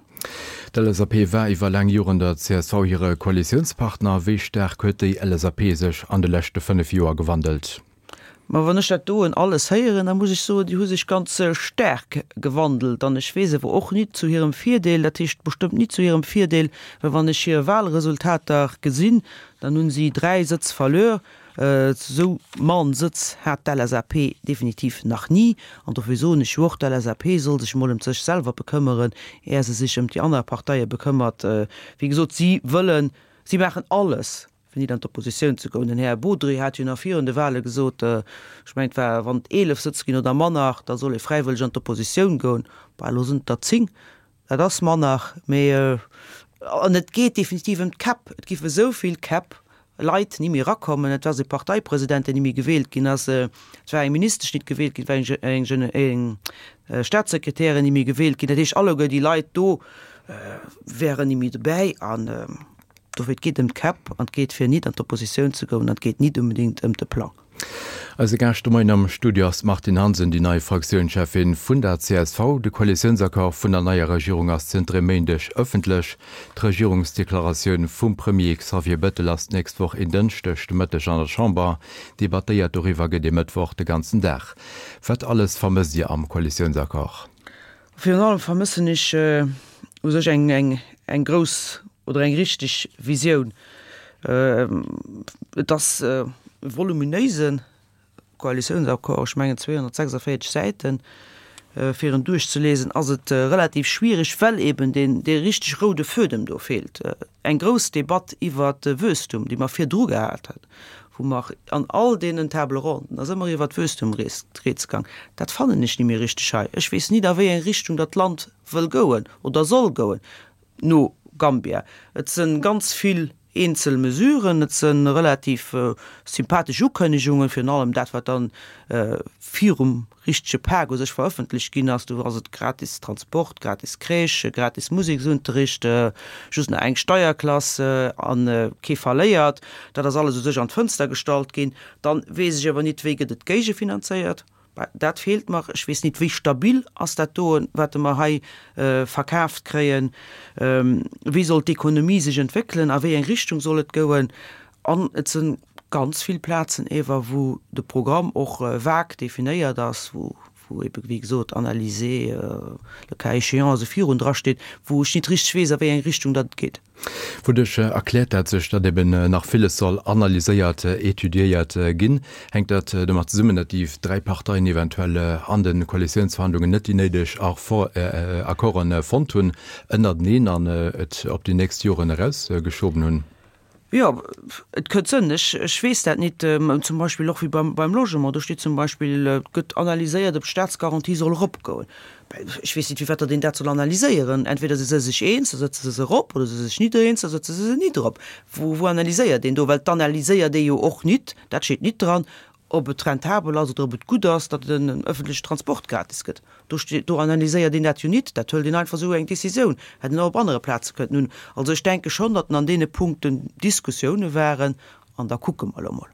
D'LSAP war iwwer laang Joren der csv hire Koalitiounspartner. Wéi staark huet déi LSAP sech an de leschte 5 Joer gewandelt? Ma wann ech dat doen alles héieren, da muss ech soen, déi hu sech ganz staark gewandelt. An ech weess awer och nit zu hirem Virdeel, dat heescht bestëmmt nit zu hirem Virdeel, well wann ech hir Wahlresultater gesinn, dann hunn si 3 Sëtz verluer. Esou mann Sëtz hat d'LSAP definitiv nach ni. An dofir soen ech jo och, d'LSAP soll sech emol ëm sech selwer bekëmmeren, är se sech ëm déi aner Parteie bekëmmert. Wéi gesot, si wëllen, si maachen alles, fir nit an d'Oppositioun ze goen. Den Här Bodry hat jo nach virun de Wahle gesot, ech mengen et war, wann et 11 Sëtz ginn oder manner, da soll ee fräiwëlleg an d'Oppositioun goen. Bah, elo sinn et der 10. Dat ass manner, mee an et geet definitiv ëm d'Käpp. Et giff esou vill Käpp, Leit ni méi erakommen. Et ass e Parteipresident, deen ni méi gewielt ginn ass. Et war eng Ministesch nit gewielt ginn, et war eng eng Staatssekretärin ni méi gewielt ginn. Dat heescht, alleguer déi Leit do wären ni méi dobäi. An dofir, et geet ëm d'Käpp an et geet fir nit an d'Oppositioun ze goen an et geet nit unbedéngt ëm de Plang. Eise Gaascht de Moien am Studio ass d'Martine Hansen, déi nei Fraktiounscheffin vun der csv. De Koalitiounsaccord vun der neier Regierung ass zënter e Méindeg ëffentlech. D'Regierungsdeklaratioun vum Premier Xavier Bettel ass d'nächst Woch en Dënschdeg de Mëtteg an der Chamber. Debattéiert doriwwer gëtt e Mëttwoch de ganzen Dag. Wat alles vermësst Dir am Koalitiounsaccord? Virun allem vermëssen ech u sech eng grouss oder eng richteg Visioun. Et ass e voluminéise Koalitiounsaccord, ech mengen 246 Säiten. Fir en duerchzelesen ass et relativ schwierig, well eben deen dee richteg roude Fuedem do feelt. Eng grouss Debatt iwwert de Wuesstum, déi mer virdru gehat haten, wou mer an all deenen Table ronden ass ëmmer iwwert Wuesstum rieds gang, dat fannen ech ni méi richteg hei. Ech weess nit a wéi eng Richtung datt d'Land wëll gouen oder soll gouen no Gambia. Et se ganz vill eenzel Mesuren, et se relativ sympathesch Ukënnegungen, virun allem dat wat dann virum richtege Pak u sech verëffentlecht ginn ass, do ass et gratis Transport, gratis Crèche, gratis Museksunterricht, just nach eng Steierklass a kee verléiert. Dat ass alles u sech an d'Fënster gestallt ginn. Dann weess ech awer nit, wéi gëtt et géigefinanzéiert. Dat feelt mer. Ech weess nit, wéi stabil ass dat doen, wat mer hei verkaaft kréien. Wéi soll d'Ekonomie sech entwéckelen? A wéi eng Richtung soll et goen? An et si ganz vill Plazen ewer, wou de Programm och vague definéiert ass, wou ebe wéi gesot analyser le cas échéant esou virun dra steet, wou ech nit richteg weess, a wéi eng Richtung datt et geet. Wouduerch erkläert dat sech, datt eben nach villes soll analyséiert, étudiéiert ginn? Hänkt dat domat zesummen, datt déi 3 Parteien eventuell an de Koalitiounsverhandlungen net déi néideg Accorden fonnt hunn ënnerteneen an et op déi nächst Joren erausgeschoben hunn? Jo, et kënnt sënn. Ech, ech weess dat nit. Zum Beispill och wéi beim, beim Logement. Do steet zum Beispill, et gëtt analyséiert, ob d'Staatsgarantie soll eropgoen. Ech weess nit, firwat datt een dat soll analyséieren. Entweder si se sech eens, da sëtze se se erop, oder se si sech nit eens, da sëtze se se nit erop. Wou, wou analyséiert een do? Well d'analyséiert ee jo och nit, dat steet nit dran, ob et rentabel ass oder ob et gutt ass, datt den öffentliche Transport gratis gëtt. Do steet, do analyséiert een dat jo nit, dat hëlt een einfach esou eng Décisioun, hätt een och op anere Plaze kënnten hunn. Also ech denke schonn, datt an deene Punkten Diskussioune waren an da kucke mer elo mol.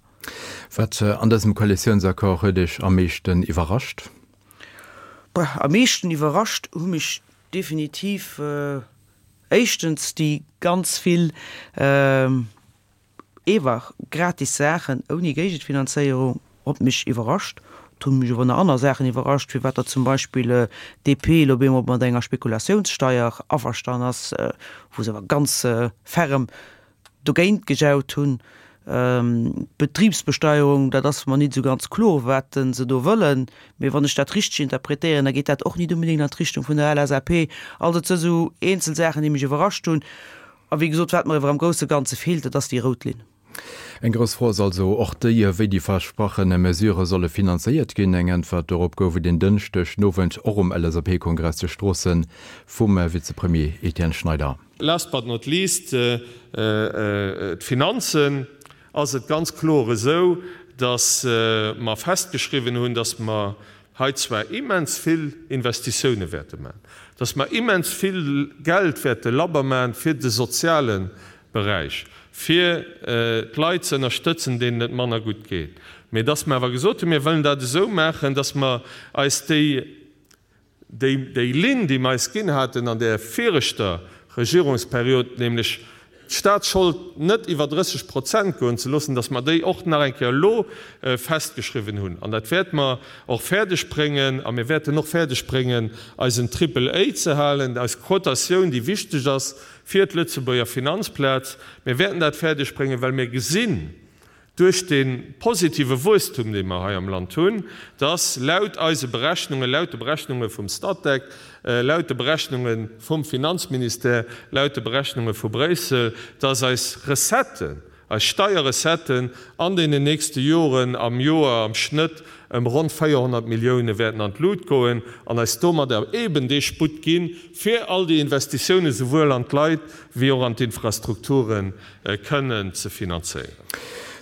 Wat an dësem Koalitiounsaccord huet Iech am meeschten iwwerrascht? Bah, am meeschten iwwerrascht hu mech definitiv éischtens déi ganz vill, Ewer gratis Saachen ouni Géigenfinanzéierung hott mech iwwerrascht. Et hunn mech ower nach anner Saachen iwwerrascht, firwat der zum Beispill d'DP elo op eemol mat enger Spekulatiounssteier averstan ass, wou se awer ganz ferrem dogéint gejaut hunn. D'Betribsbesteierung, dat ass mer nit esou ganz kloer, wat se do wëllen, mee wann ech dat richteg interpretéieren, da geet dat och nit unbedéngt an d'Richtung vun der LSAP. Also et si sou eenzel Saachen, déi mech iwwerrascht hunn. A wéi gesot, wat mer ewer am grousse Ganze feelt, dat ass déi rout Linn. Eng grouss Fro ass also och déi, wéi déi versprache Mesurë solle finanzéiert ginn. Eng Äntwert dorop gouf et en Dënschdeg den Owend och um LSAP-Kongress zu Stroossen vum Vizepremier Etienne Schneider. Last but not least, d'Finanzen. Ass et ganz kloer esou, dass mer festgeschriwwen hunn, dass mer hei zwar immens vill Investitioune wäerte maachen, dass mer immens vill Geld wäerte labber maachen fir de soziale Beräich, fir d'Leit ze ënnerstëtzen, deenen et manner gutt geet, mee dass mer awer gesot hunn, mir wëllen dat esou maachen, dass mer eis déi Déi Linn, déi mer eis ginn haten an där viregter Regierungsperiod, nämlech d'Staatsschold net iwwer 30 Prozent goen ze loossen, dass mer déi och nach eng Kéier elo festgeschriwwen hunn. An dat wäerte mer och fäerdeg bréngen. A mir wäerten och fäerdeg bréngen, eisen Triple A ze halen, eis Quotatioun, déi wichteg ass fir d'Lëtzebuerger Finanzplaz. Mir wäerten dat fäerdeg bréngen, well mir gesinn, duerch dee positive Wuesstum, dee mer hei am Land hunn, dass laut eise Berechnungen, laut de Berechnunge vum Statec, laut de Berechnunge vum Finanzministère, laut de Berechnunge vu Bréissel, dass eis Recetten, eis Steierrecetten an deenen nächste Joren am Joer am Schnëtt ëm ronn 400 Millioune wäerten an d'Lut goen an eis domadder eeben dee Sputt ginn, fir all déi Investitiounen souwuel an d'Leit wéi och an d'Infrastrukturen kënnen ze finanzéieren.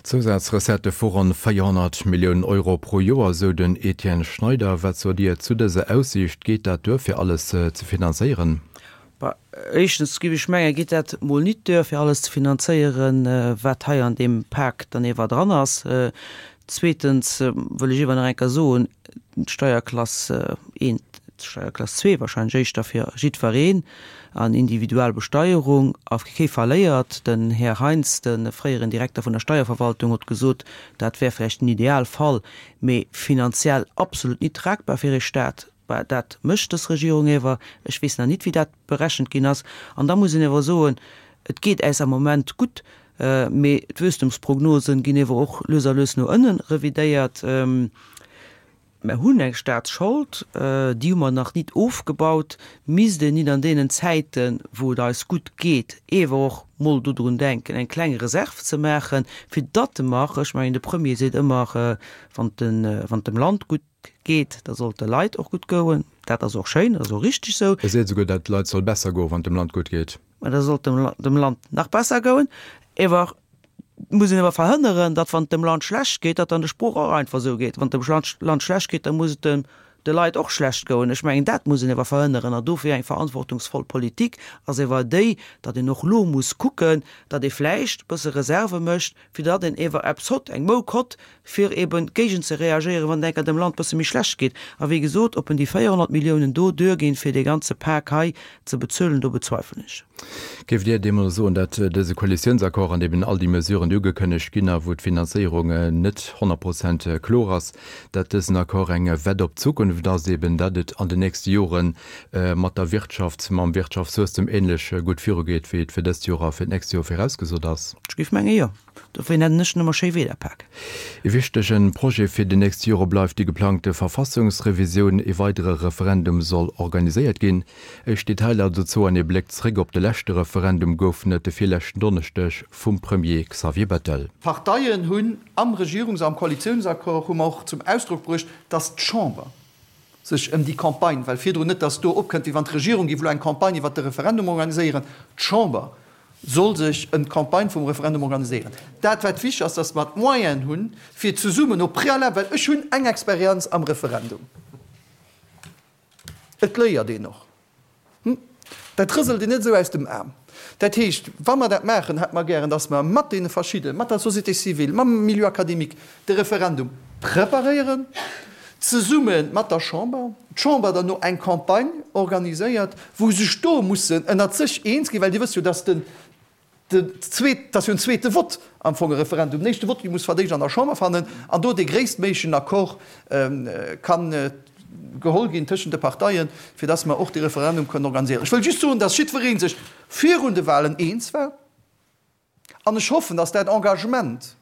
Zousazrecettë vu ronn 400 Milliounen Euro pro Joer, sou den Etienne Schneider. Wat sot Dir zu dëser Aussiicht? Geet dat duer fir alles ze finanzéieren? Bah, éischtens géif ech mengen, geet dat mol nit duer fir alles ze finanzéieren, wat hei an deem Pak dann ewer dran ass. Zweetens wëll ech ewer nach eng Kéier soen, d'Steierklass eent, d'Steierklass zwee wahrscheinlech éischter fir jiddwereen an individuell Besteierung a kee verléiert. Den Här Heintz, de fréieren Direkter vun der Steierverwaltung, huet gesot, dat wär vläicht den Idealfall, mee finanziell absolut nit tragbar fir ee Staat. Bah, dat mécht dës Regierung ewer. Ech weess nach nit, wéi dat berechent ginn ass. An da muss een ewer soen, et geet äis am Moment gutt, mee d'Wuesstumsprognosen ginn ewer och lues a lues no ënne revidéiert. Mer hunn eng Staatsschold, déi hu mer nach nit ofgebaut. Misst een nit an deenen Zäiten, wou et eis gutt geet, ewer och mol dodrun denken, eng kleng Reserv ze maachen, fir datt mer, ech mengen, de Premier seet ëmmer, wann et dem Land gutt geet, da soll et de Leit och gutt goen. Dat ass och schéin, dat ass och richteg esou. E seet esouguer, datt et de Leit soll besser goen, wann et dem Land gutt geet. Mä da sollt dem, dem Land nach besser goen. Ewer muss een ewer verhënneren, datt wann et dem Land schlecht geet, datt dann de Sprooch och einfach esou geet. Wann et dem Land, Land schlecht geet, da muss et dem, de Leit och schlecht goen. Ech mengen, dat muss een ewer verhënneren. An dofir eng verantwortungsvoll Politik ass ewer déi, datt een och elo muss kucken, datt ee vläicht e bësse Reserve mécht, fir datt een ewer eppes hott, eng Mouk hott, fir eben géigent ze reagéieren, wann et enker dem Land bësse méi schlecht geet. A wéi gesot, ob en déi 400 Milliounen do duerginn, fir dee ganze Pak hei ze bezuelen, do bezweifelen ech. Géift Dir deemno soen, datt dëse Koalitiounsaccord, an deem all déi Mesuren, déi ugekënnegt ginn a wou d'Finanzéierung net 100 Prozent kloer ass, datt dësen Accord eng Wett op d'Zukunft ass, eben datt et an den nächste Jore mat der Wirtschaft, mam Wirtschaftswuesstem ähnlech gutt virugeet, wéi et fir dëst Joer a fir d'nächst Joer virausgesot ass? Ech géif menge jo. Dofir nennen ech en ëmmer Schéiwiederpak. E wichtege Projet fir déi nächst Jore bleift déi geplangte Verfassungsrevisioun. E weidere Referendum soll organiséiert ginn. Éischt Detailer dozou an ee Bléck zréck op de leschte Referendum goufen et de virleschten Donneschdeg vum Premier Xavier Bettel. D'Parteien hunn am Regierungs am Koalitiounsaccord hu mer och zum Ausdrock bruecht, dass d'Chamber sech ëm déi Campagne, well virdrun net, dass do opkënnt, wéi wann d'Regierung géif elo eng Campagne iwwert de Referendum organiséieren, d'Chamber soll sech ëm d'Campagne vum Referendum organiséieren. Dat wat wichteg ass, dass mer d'Moyenen hunn, fir zesummen au préalable, well ech hunn eng Experienz am Referendum, Et léiert een och. Dat rëselt een net esou aus dem Aarm. Dat heescht, wa mer dat maachen, hätte mer gären, dass mer mat deene verschidde, mat der Société civile, mam Milieu académique de Referendum preparéieren, zesumme mat der Chamber, d'Chamber dann no eng Campagne organiséiert, wou sech do mussen ënnert sech eens ginn, well Dir wësst jo, dass den Den zweet, dat ass jo en zweete Vott am Fong, e Referendum. Den éischte Vott, dee muss verdéischt an der Chamber fannen an do dee gréisstméiglechen Accord ka geholl ginn tëschent de Parteien, fir dass mer och dee Referendum kënnen organiséieren. Ech wëll just soen, dass jiddweree sech virun de Wahlen eens war an ech hoffen, dass dat Engagement,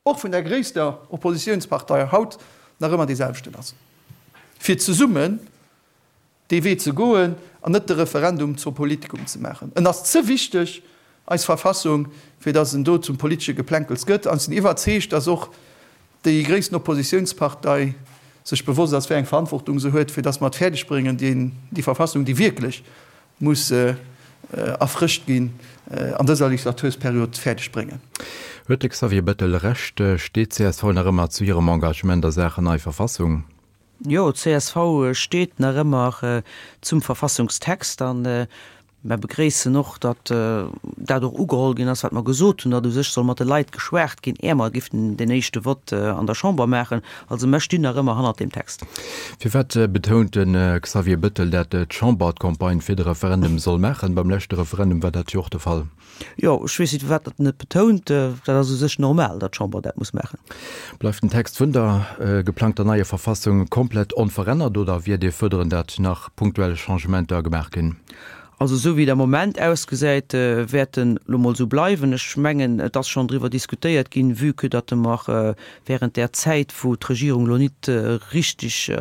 och vun der gréisster Oppositionspartei haut nach ëmmer dee selwechten ass, fir zesummen dee Wee ze goen an net de Referendum zum Politikum ze maachen. En ass ze wichteg, eis Verfassung, fir datt en do zum politesche Geplänkels gëtt. An ech sinn iwwerzeegt, datt och déi gréissten Oppositionspartei sech bewosst ass, wéi eng Verantwortung se huet, fir datt mer et fäerdeg bréngen, déi Verfassung, déi wierklech muss erfrëscht ginn, an dëser Legislatursperiod fäerdeg bréngen. Huet de Xavier Bettel Recht? Steet csv nach ëmmer zu hirem Engagement a Saachen nei Verfassung? Jo, csv steet nach ëmmer zum Verfassungstext an mer begréissen och, datt dat och ugeholl ginn ass, wat mer gesot hunn, datt u sech soll mat de Leit geschwat ginn, är mer giffen deen éischte Vott an der Chamber maachen. Also mer stinn nach ëmmer hannert deem Text. Firwat betount de Xavier Bettel, dat d'Chamber d'Campagne fir de Referendum soll maachen? Beim leschte Referendum war dat jo och de Fall. Jo, ech weess net, firwat datt en et betount. Dat ass u sech normal, datt d'Chamber dat muss maachen. Bleift den Text vun der geplangter neier Verfassung komplett onverännert oder wiert Dir fuerderen, dat nach punktuell Changementer gemaach ginn? Also esou wéi et am Moment ausgesäit, wäert en elo mol esou bleiwen. Ech mengen, et ass schonn driwwer diskutéiert ginn, vue que datt mer während där Zäit, wou d'Regierung elo nit richtig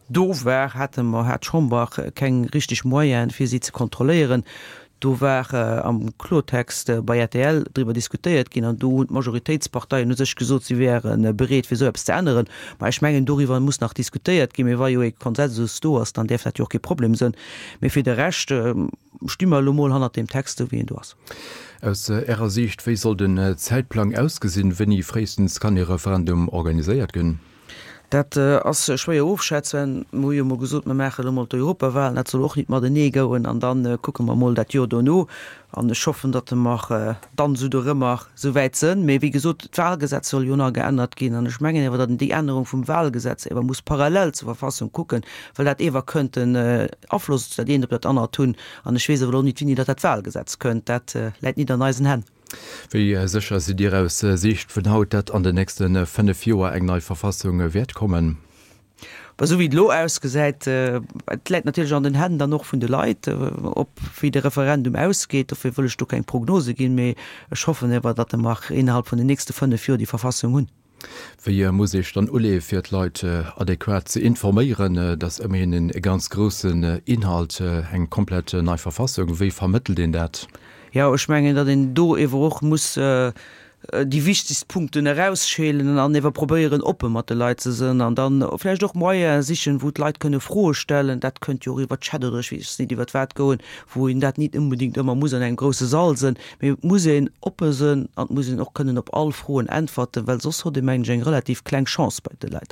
do war, hate mer, hat d'Chamber keng richtig Moyenen, fir si ze kontrolléieren. Do war am Kloertext bei rtl driwwer diskutéiert ginn an do hunn d'Majoritéitsparteien u sech gesot, si wäre bereet, fir esou eppes ze änneren. Mä ech mengen, doriwwer muss nach diskutéiert ginn. Mee wa jo ee Konsensus do ass, dann däerf dat jo och kee Problem sënn. Mee fir de Rescht sti mer elo mol hannert deem Text, esou wéi en do ass. Aus Ärer Siicht, wéi soll den Zäitplang ausgesinn? Wéini fréistens kann ee Referendum organiséiert ginn? Dat ass schwéier ofschätzen. Mer hu jo emol gesot, mer maachen elo mol d'Europawahlen, dat soll och nit matenee gouen, an da kucke mer mol dat Joer dono. An ech hoffen, datt mer dann esou dorëmmer esou wäit sënn. Mee wéi gesot, d'Wahlgesetz soll jo nach geännert ginn. An ech mengen ewer, datt een déi Ännerung vum Wahlgesetz ewer muss parallel zur Verfassung kucken, well dat ewer kënnt en Afloss dat eent op dat anert hunn. An ech weess awer elo nit, wéini datt dat Wahlgesetz kënnt. Dat läit nit an eisen Hänn. Wéi sécher sidd Dir aus Siicht vun haut, datt an den nächste 5 Joer eng nei Verfassung wäert kommen? Esou wéi et elo ausgesäit, et läit natierlech an den Hänn dann och vun de Leit, ob wéi de Referendum ausgeet. Dofir wëll ech do keng Prognose ginn, mee ech hoffen ewer, datt mer innerhalb vun den nächste 5 Joer déi Verfassung hunn. Wéi muss ee sech dann uleeë fir d'Leit adequat ze informéieren? Et ass ëmmerhin e ganz groussen Inhalt, eng komplett nei Verfassung. Wéi vermëttelt een dat? Jo, ech mengen, datt een do ewer och muss déi wichtegst Punkten erausschélen an ewer probéieren, oppe mat de Leit ze sënn an dann vläicht och Moyene sichen, wou d'Leit kënne Froe stellen. Dat kënnt jo och iwwer Chat oder ech weess nit iwwer wat goen, wou een dat nit onbedéngt ëmmer muss an engem grousse Sall sënn. Mee et muss een oppe sënn an et muss een och kënnen op all Froen äntwerten, well soss hott ee mengen ech eng relativ kleng Chance bei de Leit.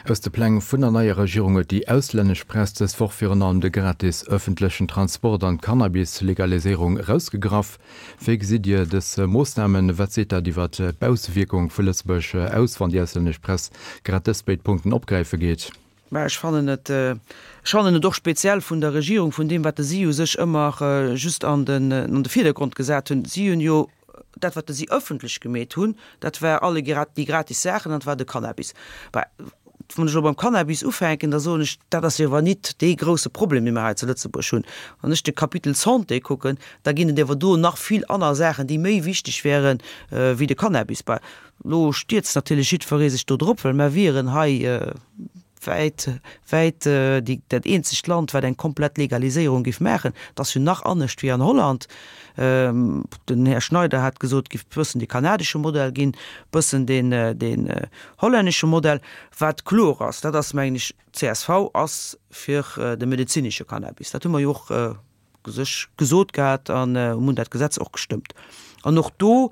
Aus de Pläng vun der neier Regierung huet déi auslännesch Press dës Woch virun allem de gratis ëffentlechen Transport an d'Cannabis-Legaliséierung erausgegraff. Wéi gesitt Dir dës Moossnamen? Wat seet dat iwwer d'Baussewierkung vu Lëtzebuerg aus, wann déi auslännesch Press grad dës béid Punkten opgräife geet? Mä ech fannen et, ech fannen et och speziell vun der Regierung, vun deem, wat si u sech ëmmer just an den, an de Virdergrond gesat hunn. Si hunn jo dat, wat si ëffentlech gemeet hunn, dat war alle déi gratis Saachen an dat war de Cannabis. Bah. Wann ech elo beim Cannabis ufänken, da soen ech, dat ass jo awer nit dee grouse Problem, dee mir hei zu Lëtzebuerg hunn. Wann ech de Kapitel Santé kucken, da ginn et awer do nach vill aner Saachen, déi méi wichteg wären, wéi de Cannabis. Bah, elo stierzt natierlech jiddweree sech do drop, well mer wieren hei wäit, wäit déi, dat eenzegt Land, wat eng komplett Legaliséierung géif maachen. Et ass jo nach anescht wéi an Holland. Den Här Schneider hat gesot, et géif bëssen dee kanadesche Modell ginn, bëssen deen, deen hollännesche Modell. Wat kloer ass, dat ass, mengen ech, csv ass fir de medezinesche Cannabis. Dat hu mer jo och sech gesot gehat an hunn dat Gesetz och gestëmmt. An och do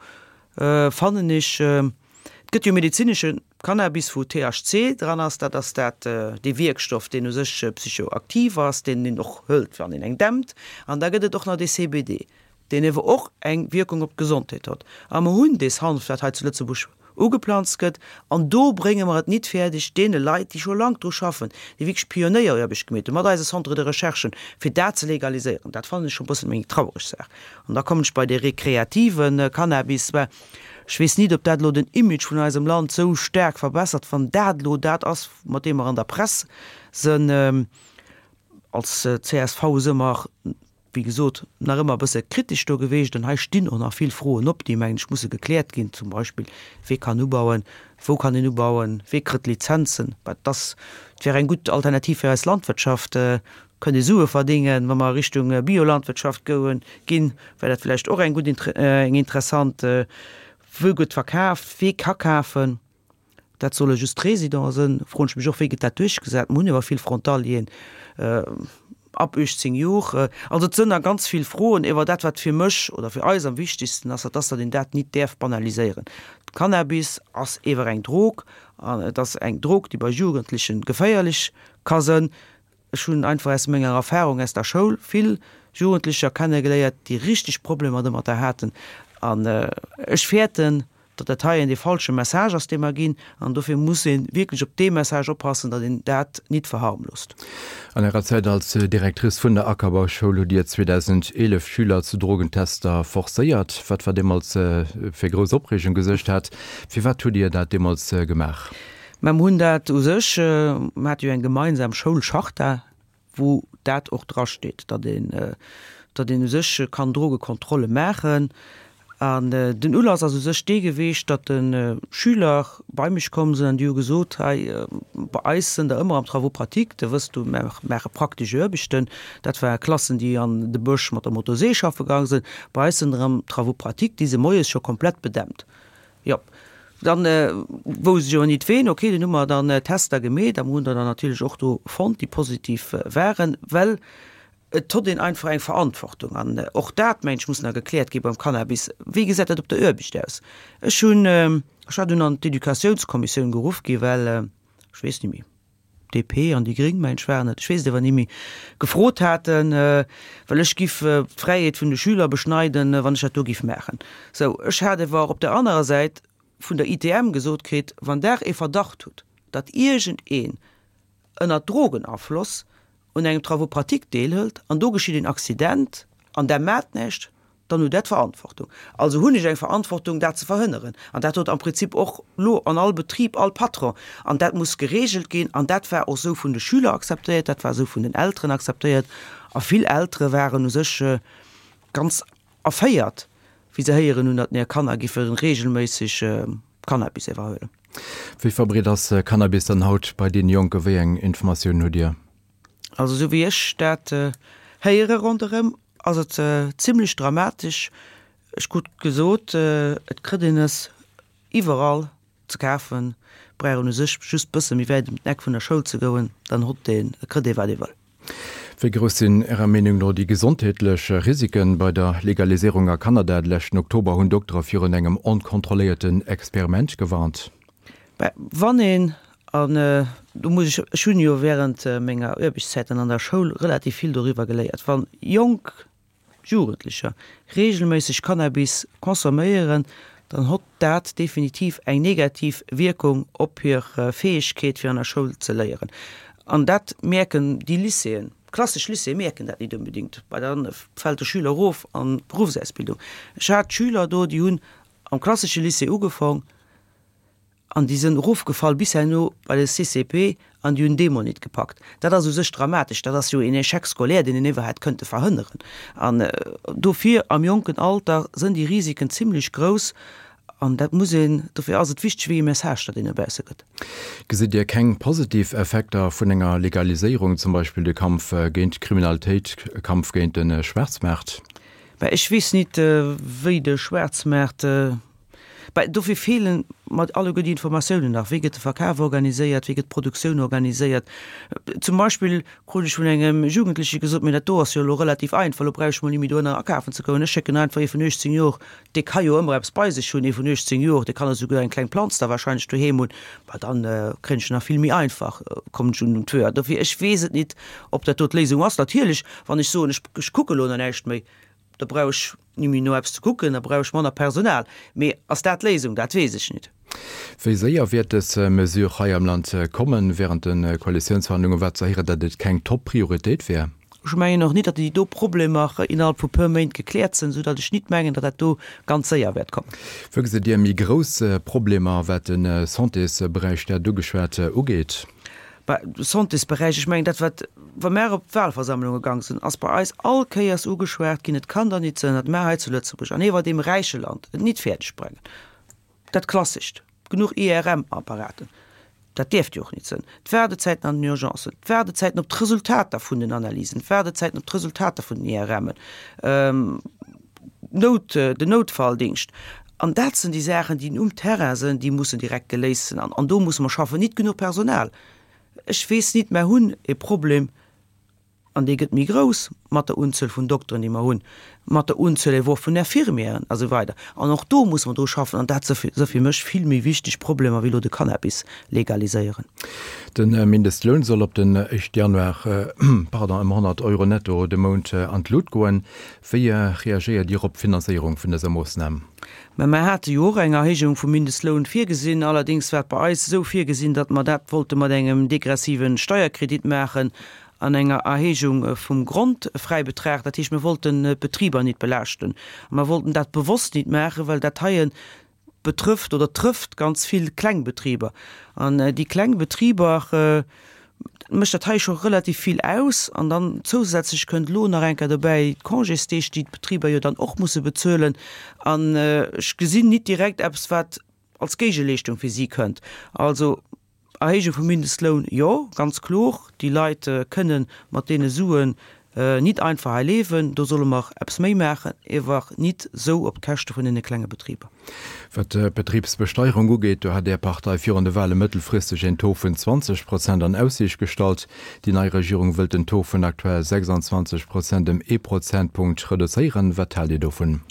fannen ech, et gëtt jo medezinesche Cannabis, wou THC dran ass, dat ass dat, dee Wierkstoff, deen u sech psychoaktiv ass, deen een och hëlt, wann een eng dämpt. An da gëtt et och nach dee CBD, deen ewer och eng Wierkung op d'Gesondheet hott. A mer hunn dees Hanf, dat hei zu Lëtzebuerg ugeplanzt gëtt, an do brénge mer et nit fäerdeg, deene Leit, déi scho lank dru schaffen, déi wierklech Pionéieraarbecht gemeet hunn, mat eise Centres de recherchen, fir dat ze legaliséieren. Dat fannen ech scho e bëssen eng traureg Saach. An da kommen ech bei dee rekreative Cannabis. Mä ech weess nit, ob dat elo den Image vun eisem Land esou staark verbessert, wann dat elo dat ass, mat deem mer an der Press sënn. Als csv si mer wéi gesot, nach ëmmer e bësse kritesch do geweecht. An hei stinn och nach vill Froen op, déi, mengen ech, musse gekläert ginn, zum Beispill, Wee kann ubauen? Wou kann een ubauen? Wee kritt Lizenzen? Wat ass, et wär eng gutt Alternativ fir eis Landwirtschaft, kënnt ee Sue verdingen, wa mer a Richtung Biolandwirtschaft goen, ginn, wär dat vläicht och eng gutt, eng interessant, wou gëtt verkaaft, wee ka kafen? Dat solle just d'Résidenten sënn. Froen ech mech och, wéi gëtt dat duerchgesat? Mer hunn awer vill Frontalieren ab 18 Jor. Also et sënn nach ganz vill Froen. Ewer dat, wat fir mech oder fir eis am wichtigsten ass, dat ass, datt een dat nit däerf banaliséieren. Cannabis ass ewer eng Drog an et ass eng Drog, déi bei Jugendlechen geféierlech ka sënn. Ech hunn einfach aus menger Erfahrung aus der Schoul vill Jugendlecher kennegeléiert, déi richteg Problemer domatter haten. An ech fäerten, datt dat heien dee falsche Message ass, dee mer ginn. An dofir muss ee wierklech op dee Message oppassen, datt een dat nit verharmlost. An Ärer Zäit als Directrice vun der Ackerbauschoul hutt Dir 2011 Schüler zu Drogentester forcéiert, wat war deemools fir grouss Opreegung gesuergt hat. Firwat hutt Dir dat deemools gemaach? Mä mer hunn dat u sech, mer hate jo eng gemeinsam Schoulcharta, wou dat och drasteet, datt een, datt een u sech kann Drogekontrolle maachen. An den Ulass ass u sech dee geweecht, datt de Schüler bei mech komm sinn an déi hu gesot, hei bei eis sënn der ëmmer am Travaux pratiques, de wësst du, mer maache praktesch Aarbechten. Dat ware Klassen, déi an de Bësch mat der Motorsee schaffe gaang sinn. Bei eis sënn der am Travaux pratiques, déi si moies scho komplett bedämpt. Jo, dann wousst ech awer nit ween. Ok, dunn hu mer dann Tester gemeet a mer hunn der dann natierlech och do fonnt, déi positiv waren, well et hott een einfach eng Verantwortung. An och dat, mengen ech, muss nach gekläert gi beim Cannabis. Wéi gesäit dat op der Aarbecht aus? Ech hunn, ech war dunn an d'Educatiounskommissioun geruff gi well, ech weess net méi, DP an déi Gréng, mengen ech waren et, ech weess et awer ni méi, gefrot haten, well ech giff d'Fräiheet vun de Schüler beschneiden, wann ech dat do giff maachen. Sou, ech hat awer op der anerer Säit vun der ITM gesot kritt, wann Der ee Verdacht hutt, datt iergendeen ënner Drogenafloss un engem Travaux pratiques deelhëlt an do geschitt een Accident an Der maacht näischt, dann hutt Der d'Verantwortung. Also hunn ech eng Verantwortung, dat ze verhënneren. An dat huet am Prinzip och lo an all Betrib all Patron. An dat muss geregelt ginn. An dat war och esou vun de Schüler akzeptéiert, dat war esou vun den Elteren akzeptéiert. A vill Eltere waren u sech ganz erféiert, wéi se héieren hunn, datt hir Kanner giffe regelméisseg Cannabis iwwerhuelen. Wéi verbreet ass Cannabis dann haut bei deene Jonken? Wéi eng Informatiounen hutt Dir? Also esou wéi ech dat héiere ronderëm, ass et zimlech dramatesch. Ech krut gesot, et kritt een es iwwerall ze kafen, brauch een u sech just bësse méi wäit ëm d'Eck vun der Schoul ze goen, dann hott een, kritt ee wat ee wëll. Wéi grouss sinn Ärer Meenung no déi gesondheetlech Risiken bei der Legaliséierung a Kanada? De leschten Oktober hunn Doktere virun engem onkontrolléierten Experiment gewarnt. Mä wann een, an do muss ech, ech hunn jo während menger Aarbechtszäiten an der Schoul relativ vill doriwwer geléiert, wa jonk Jugendlecher regelméisseg Cannabis consomméieren, dann hott dat definitiv eng negativ Wierkung op hir Fäegkeet fir an der Schoul ze léieren. An dat mierken déi Lycéeën, klassesch Lycéeë mierken dat nit onbedéngt, well da fält de Schüler erof an d'Beruffsausbildung. Ech hat Schüler do, déi hunn am klassesche Lycée ugefong. An déi sënn erofgefall bis herno bei de CCP an déi hunn dee mol nit gepackt. Dat ass u sech dramatesch. Dat ass jo een Échec scolaire, deen een iwwer hätt kënnte verhënneren. An dofir am jonken Alter sënn déi Risiken zimlech grouss. An dat muss een, dofir ass et wichteg, wéi ee Message datt een no bausse gëtt. Gesitt Dir keng positiv Effekter vun enger Legaliséierung, zum Beispill de Kampf géint d'Kriminalitéit, Kampf géint de Schwaarzmaart? Mä ech weess nit, wéi de Schwaarzmaart Bah, dofir feelen mer alleguer déi Informatiounen nach. Wéi gëtt de Verkaf organiséiert? Wéi gëtt d'Produktioun organiséiert? Zum Beispill krut ech vun engem Jugendleche gesot, Mee dat do ass jo elo relativ einfach, elo brauch ech mol ni méi dohinner akafen ze goen. Ech schécken einfach ee vun 18 Jor, dee ka jo ëmmer eppes bei sech hunn, ee vun 18 Jor, dee kann esouguer eng kleng Planz da wahrscheinlech doheem hunn, bah, dann kréien ech en nach vill méi einfach, kommen ech un den Tuer. Dofir, ech weess et nit, ob dat do d'Léisung ass. Natierlech, wann ech soen, ech kucke elo nach näischt méi, Da brauch ech ni méi no eppes ze kucken, da brauch ech manner Personal. Mee ass dat d'Léisung? Dat weess ech nit. Wéi séier wäert dës Mesure hei am Land kommen? Wärend de Koalitiounsverhandlunge war ze héieren, datt et keng Top-Prioritéit wär. Ech mengen och nit, datt déi do Problemer innerhalb vu puer Méint gekläert sinn, esou datt ech nit mengen, datt dat do ganz séier wäert kommen. Wou gesitt Dir méi grouss Problemer, wat de Santésberäich, Der hat ugeschwat, ugeet? Bah, de Santésberäich, ech mengen dat wat, wa mär op d'Wahlversammlunge gang sinn, ass bei eis all Kéiers ugeschwat ginn, et kann der nit sënn, datt mär hei zu Lëtzebuerg an iwwer deem räiche Land et nit fäerdeg brengen, dat Klassescht, genuch IRM-Apparaten, dat däerft jo och nit sënn, d'Waardezäiten an den Urgencen, d'Waardezäiten op d'Resultater vun den Analysen, d'Waardezäiten op d'Resultater vun den IRMen, Nout, den Noutfalldingscht. An dat sinn déi Saachen, déi um Terrain sinn, déi mussen direkt geléist sinn. An do musse mer schaffen. Nit genuch Personal. Ech weess nit, mer hunn e Problem, an dee gëtt méi grouss mat der Unzuel vun Dokteren, déi mer hunn, mat der Unzuel ewer och vun Infirmieren a sou weider. An och do musse mer dru schaffen. An dat si fir mech vill méi wichteg Problemer wéi elo de Cannabis legaliséieren. De Mindestloun soll op den éischte Januar, pardon, ëm 100 Euro netto de Mount an d'Lut goen. Wéi reagéiert Dir op d'Finanzéierung vun dëser Moossnam? Mä mer hate jo och eng Erhéijung vum Mindestloun virgesinn. Allerdéngs war et bei eis esou virgesinn, datt mer dat wollte mat engem degressive Steierkredit maachen an enger Erhéijung vum Grondfräibetrag. Dat heescht, mir wollten d'Betriber nit belaaschten. A mer wollten dat bewosst nit maachen, well dat heien betrëfft oder trëfft ganz vill kleng Betriber. An déi kleng Betriber mécht dat hei scho relativ vill aus. An dann zousätzlech kënnt elo nach eng Kéier dobäi d'Congésdeeg, déi d'Betriber jo dann och musse bezuelen. An ech gesinn nit direkt eppes, wat als Géigeleeschtung fir si kënnt. Also Erhéijung vum Mindestloun, jo, ganz klor. Déi Leit kënne mat deene Suen nit einfach hei leewen. Do solle mer eppes méi maachen, ewer nit esou op d'Käschte vun deene klenge Betriber. Wat d'Betribsbesteierung ugeet, do hat Är Partei virun de Wahle mëttelfristeg een Taux vun 20 Prozent an Aussiicht gestallt. Déi nei Regierung wëllt den Taux vun aktuell 26 Prozent ëm ee Prozentpunkt reduzéieren. Wat haalt Dir dovun?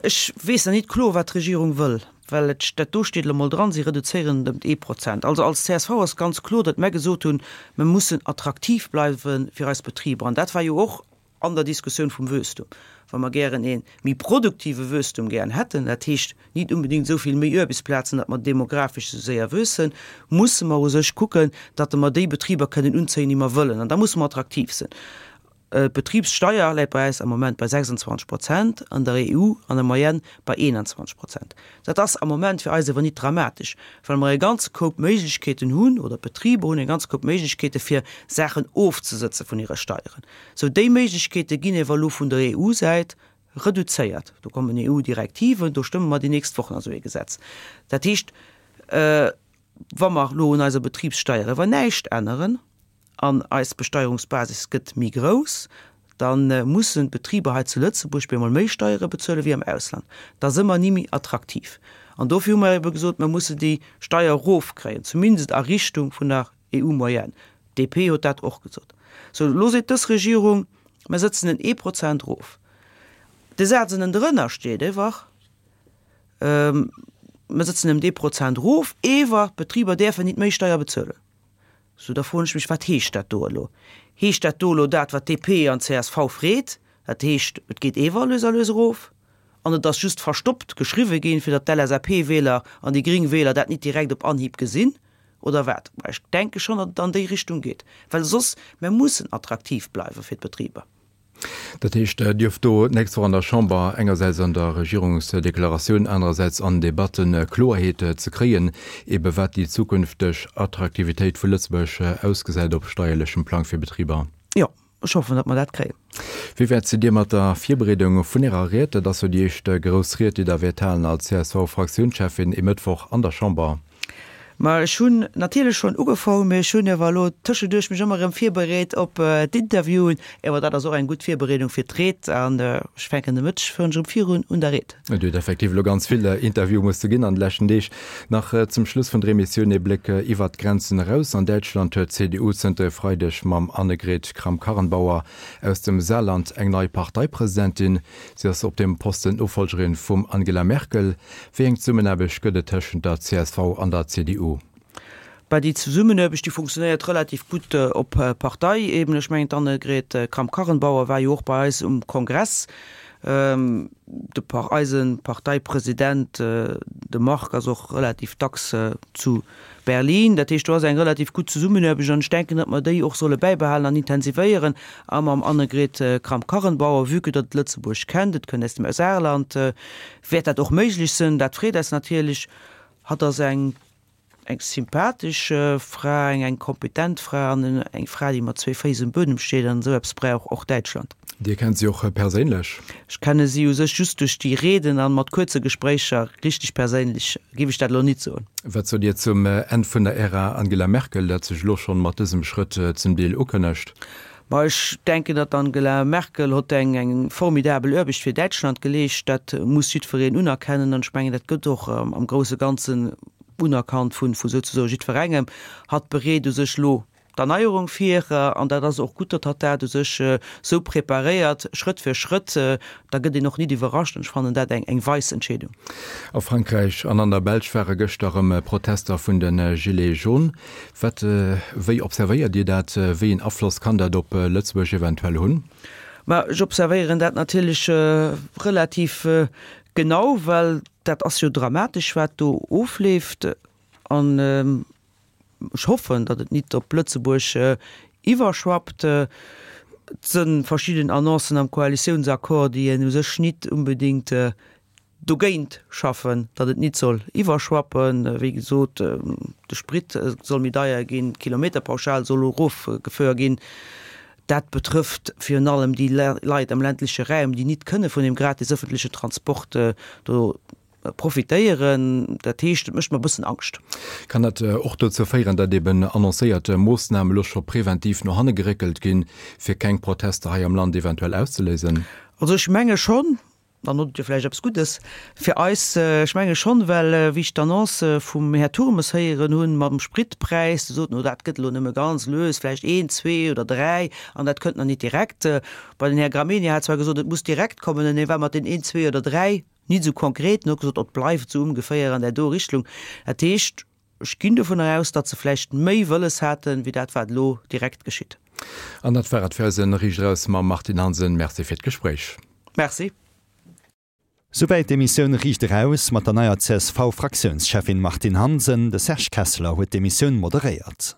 Ech weess nach nit kloer, wat d'Regierung wëll, well et, dat do steet elo mol dran, si reduzéieren et ëm ee Prozent. Also als csv ass ganz kloer, datt mär gesot hunn, mer mussen attraktiv bleiwe fir eis Betriber. An dat war jo och an der Diskussioun vum Wuesstum, wa mer gären ee méi produktive Wuesstum gären hätten, dat heescht nit unbedéngt esou vill méi Uarbechtsplazen, datt mer demografesch esou séier wuessen, musse mer u sech kucken, datt mer déi Betriber kënnen unzéien, déi mer wëllen. An da musse mer attraktiv sinn. D'Betribssteier läit bei eis am Moment bei 26 Prozent, an der EU an der Moyenne bei 21 Prozent. Dat ass am Moment fir eis awer nit dramatesch, well mer e ganze Koup Méiglechkeeten hunn, oder d'Betriber hunn e ganze Koup Méiglechkeete fir Saachen ofzesëtze vun hire Steieren. Sou déi Méiglechkeete ginn ewer elo vun der EU-Säit reduzéiert. Do kommen EU-Direktiven, do stëmme mer déi nächst Wochen esou ee Gesetz. Dat heescht, wa mer elo un eiser Betribssteier ewer näischt änneren, an eis Besteierungsbasis gëtt méi grouss, da mussen d'Betriber hei zu Lëtzebuerg bemol méi Steiere bezuele wéi am Ausland. Da si mer ni méi attraktiv. An dofir hu mer ebe gesot, mer musse déi Steier erofkréien, zumindest a Richtung vun der EU-Moyenne. D'DP huet dat och gesot. Sou, elo seet dës Regierung, mer sëtzen en ee Prozent erof. De Saz ënnendrënner steet ewer, mer sëtzen ëm dee Prozent erof, ewer d'Betriber däerfen nit méi Steier bezuelen. Sou, da froen ech mech, wat heescht dat do elo? Heescht dat do elo dat, wat DP an csv freet? Dat heescht, et geet ewer lues a lues erof an et ass just verstoppt geschriwwe ginn, fir datt d'LSAP-Wieler an déi gréng Wieler dat nit direkt op Anhieb gesinn, oder wat? Mä ech denke schonn, datt et an déi Richtung geet, well soss, mer mussen attraktiv bleiwe fir d'Betriber. Dat heescht, Dir hofft do d'nächst Woch an der Chamber engersäits an der Regierungsdeklaratioun, anerersäits an Debatten Kloerheet ze kréien, ebe wat déi zukünfteg Attraktivitéit vu Lëtzebuerg ausgesäit op steierlechem Plang fir Betriber? Jo, ech hoffen, datt mer dat kréien. Wéi wäit sidd Dir mat der Virbereedung vun Ärer Ried? Dat ass jo déi éischt grouss Ried, déi Der wäert halen als CSV-Fraktiounscheffin e Mëttwoch an der Chamber. Ma ech hunn natierlech schonn ugefaangen, mee ech hunn ewer elo tëschenduerch mech ëmmer erëm virbereet op d'Interviewen. Ewer dat ass och eng gutt Virbereedung fir d'Ried an ech fänken de Mëtteg fir erëm virun un der Ried. Et huet effektiv elo ganz vill Interviewe musse ginn an de leschten Deeg. Nach zum Schluss vun der Emissioun ee Bléck iwwert d'Grenzen eraus. An Däitschland huet d'CDU zënter e Freideg mam Annegret Kramp-Karrenbauer aus dem Saarland eng nei Parteipresidentin. Si ass op deem Posten d'Nofollgerin vum Angela Merkel. Wéi eng Zesummenaarbecht gëtt et tëschent der csv an der CDU? Bah, déi Zesummenaarbecht, déi funktionéiert relativ gutt op Parteiebene. Ech mengen, d'Annegret Kramp-Karrenbauer war jo och bei eis um Kongress. De eise Parteipresident, de Marc, ass och relativ dacks zu Berlin. Dat heescht, do ass eng relativ gutt Zesummenaarbecht an ech denken, datt mer déi och solle bäibehalen an intensivéieren. A mam Annegret Kramp-Karrenbauer, vue que datt et Lëtzebuerg kennt, et kënnt aus dem Saarland, wäert dat och méiglech sinn. Dat freet eis natierlech. Hatt ass eng eng sympathesch Fra, eng eng kompetent Fra an eng Fra, déi mat zwee Féiss um Buedem steet an esou eppes brauch och Däitschland. Dir kennt si och perséinlech? Ech kenne si u sech just duerch déi Rieden an mat kuerze Gespréicher. Richteg perséinlech géif ech dat elo nit soen. Wat sot Dir zum Enn vun der Ära Angela Merkel, dat sech elo schonn mat dësem Schrëtt zum Deel ukënnegt? Ma ech denken, datt d'Angela Merkel hott eng eng formidabel Aarbecht fir Däitschland geleescht. Dat muss jiddwereen unerkennen an ech mengen, dat gëtt och am grousse Ganzen unerkannt vu vu souzesoe jiddwerengem. Hatt bereet u sech elo d'Erneierung vir an dat ass och gutt, datt hatt dat u sech esou preparéiert, Schrëtt fir Schrëtt. Da gëtt een och nit iwwerrascht an ech fannen dat eng eng weis Entscheedung. A Frankräich an an der Belsch ware gëschter erëm Protester vun de Gilets jaunes. Wat, wéi observéiert Dir dat? Wéi een Afloss kann dat op Lëtzebuerg eventuell hunn? Ma ech observéieren dat natierlech relativ genau, well dat ass jo dramatesch, wat do ofleeft. An ech hoffen, datt et nit op Lëtzebuerg iwwerschwappt. Et si verschidden Annoncen am Koalitiounsaccord, déi een u sech nit unbedéngt dogéint schaffen, datt et nit soll iwwerschwappen. Wéi gesot, de Sprit soll méi deier ginn, d'Kilometerpauschal soll erofgefuer ginn. Dat betrëfft virun allem déi Leit am ländleche Raum, déi nit kënne vun deem gratis ëffentleche Transport do profitéieren. Dat heescht, et mécht mer e bëssen Angscht. Kann dat och dozou féieren, datt eben annoncéiert Moossnamen elo scho preventiv no hanne geréckelt ginn, fir keng Protester hei am Land eventuell auszeléisen? Also ech menge schonn, Dann hutt Dir vläicht eppes Guddes fir eis. Ech menge schonn, well wéi ech d'Annonce vum Här Turmes héieren hunn mam Spritpräis, dee sot, no dat gëtt elo nëmme ganz lues, vläicht een, zwee oder dräi, an dat kënnt nach nit direkt. Bei den Här Gramegna hat zwar gesot, et muss direkt kommen, en war mat den een, zwee oder dräi nit esou konkret en huet gesot, et bleift esou ongeféier an där do Richtlung. Dat heescht, ech ginn dovunner aus, datt se vläicht méi wëlles haten, wéi dat wat elo direkt geschitt. An dat war et fir eisen Riicht Eraus mam Martine Hansen. Merci fir d'Gespréich. Merci. Souwäit d'Emissioun Riicht Eraus mat der neier CSV-Fraktiounscheffin Martine Hansen. De Serge Kesseler huet d'Emissioun moderéiert.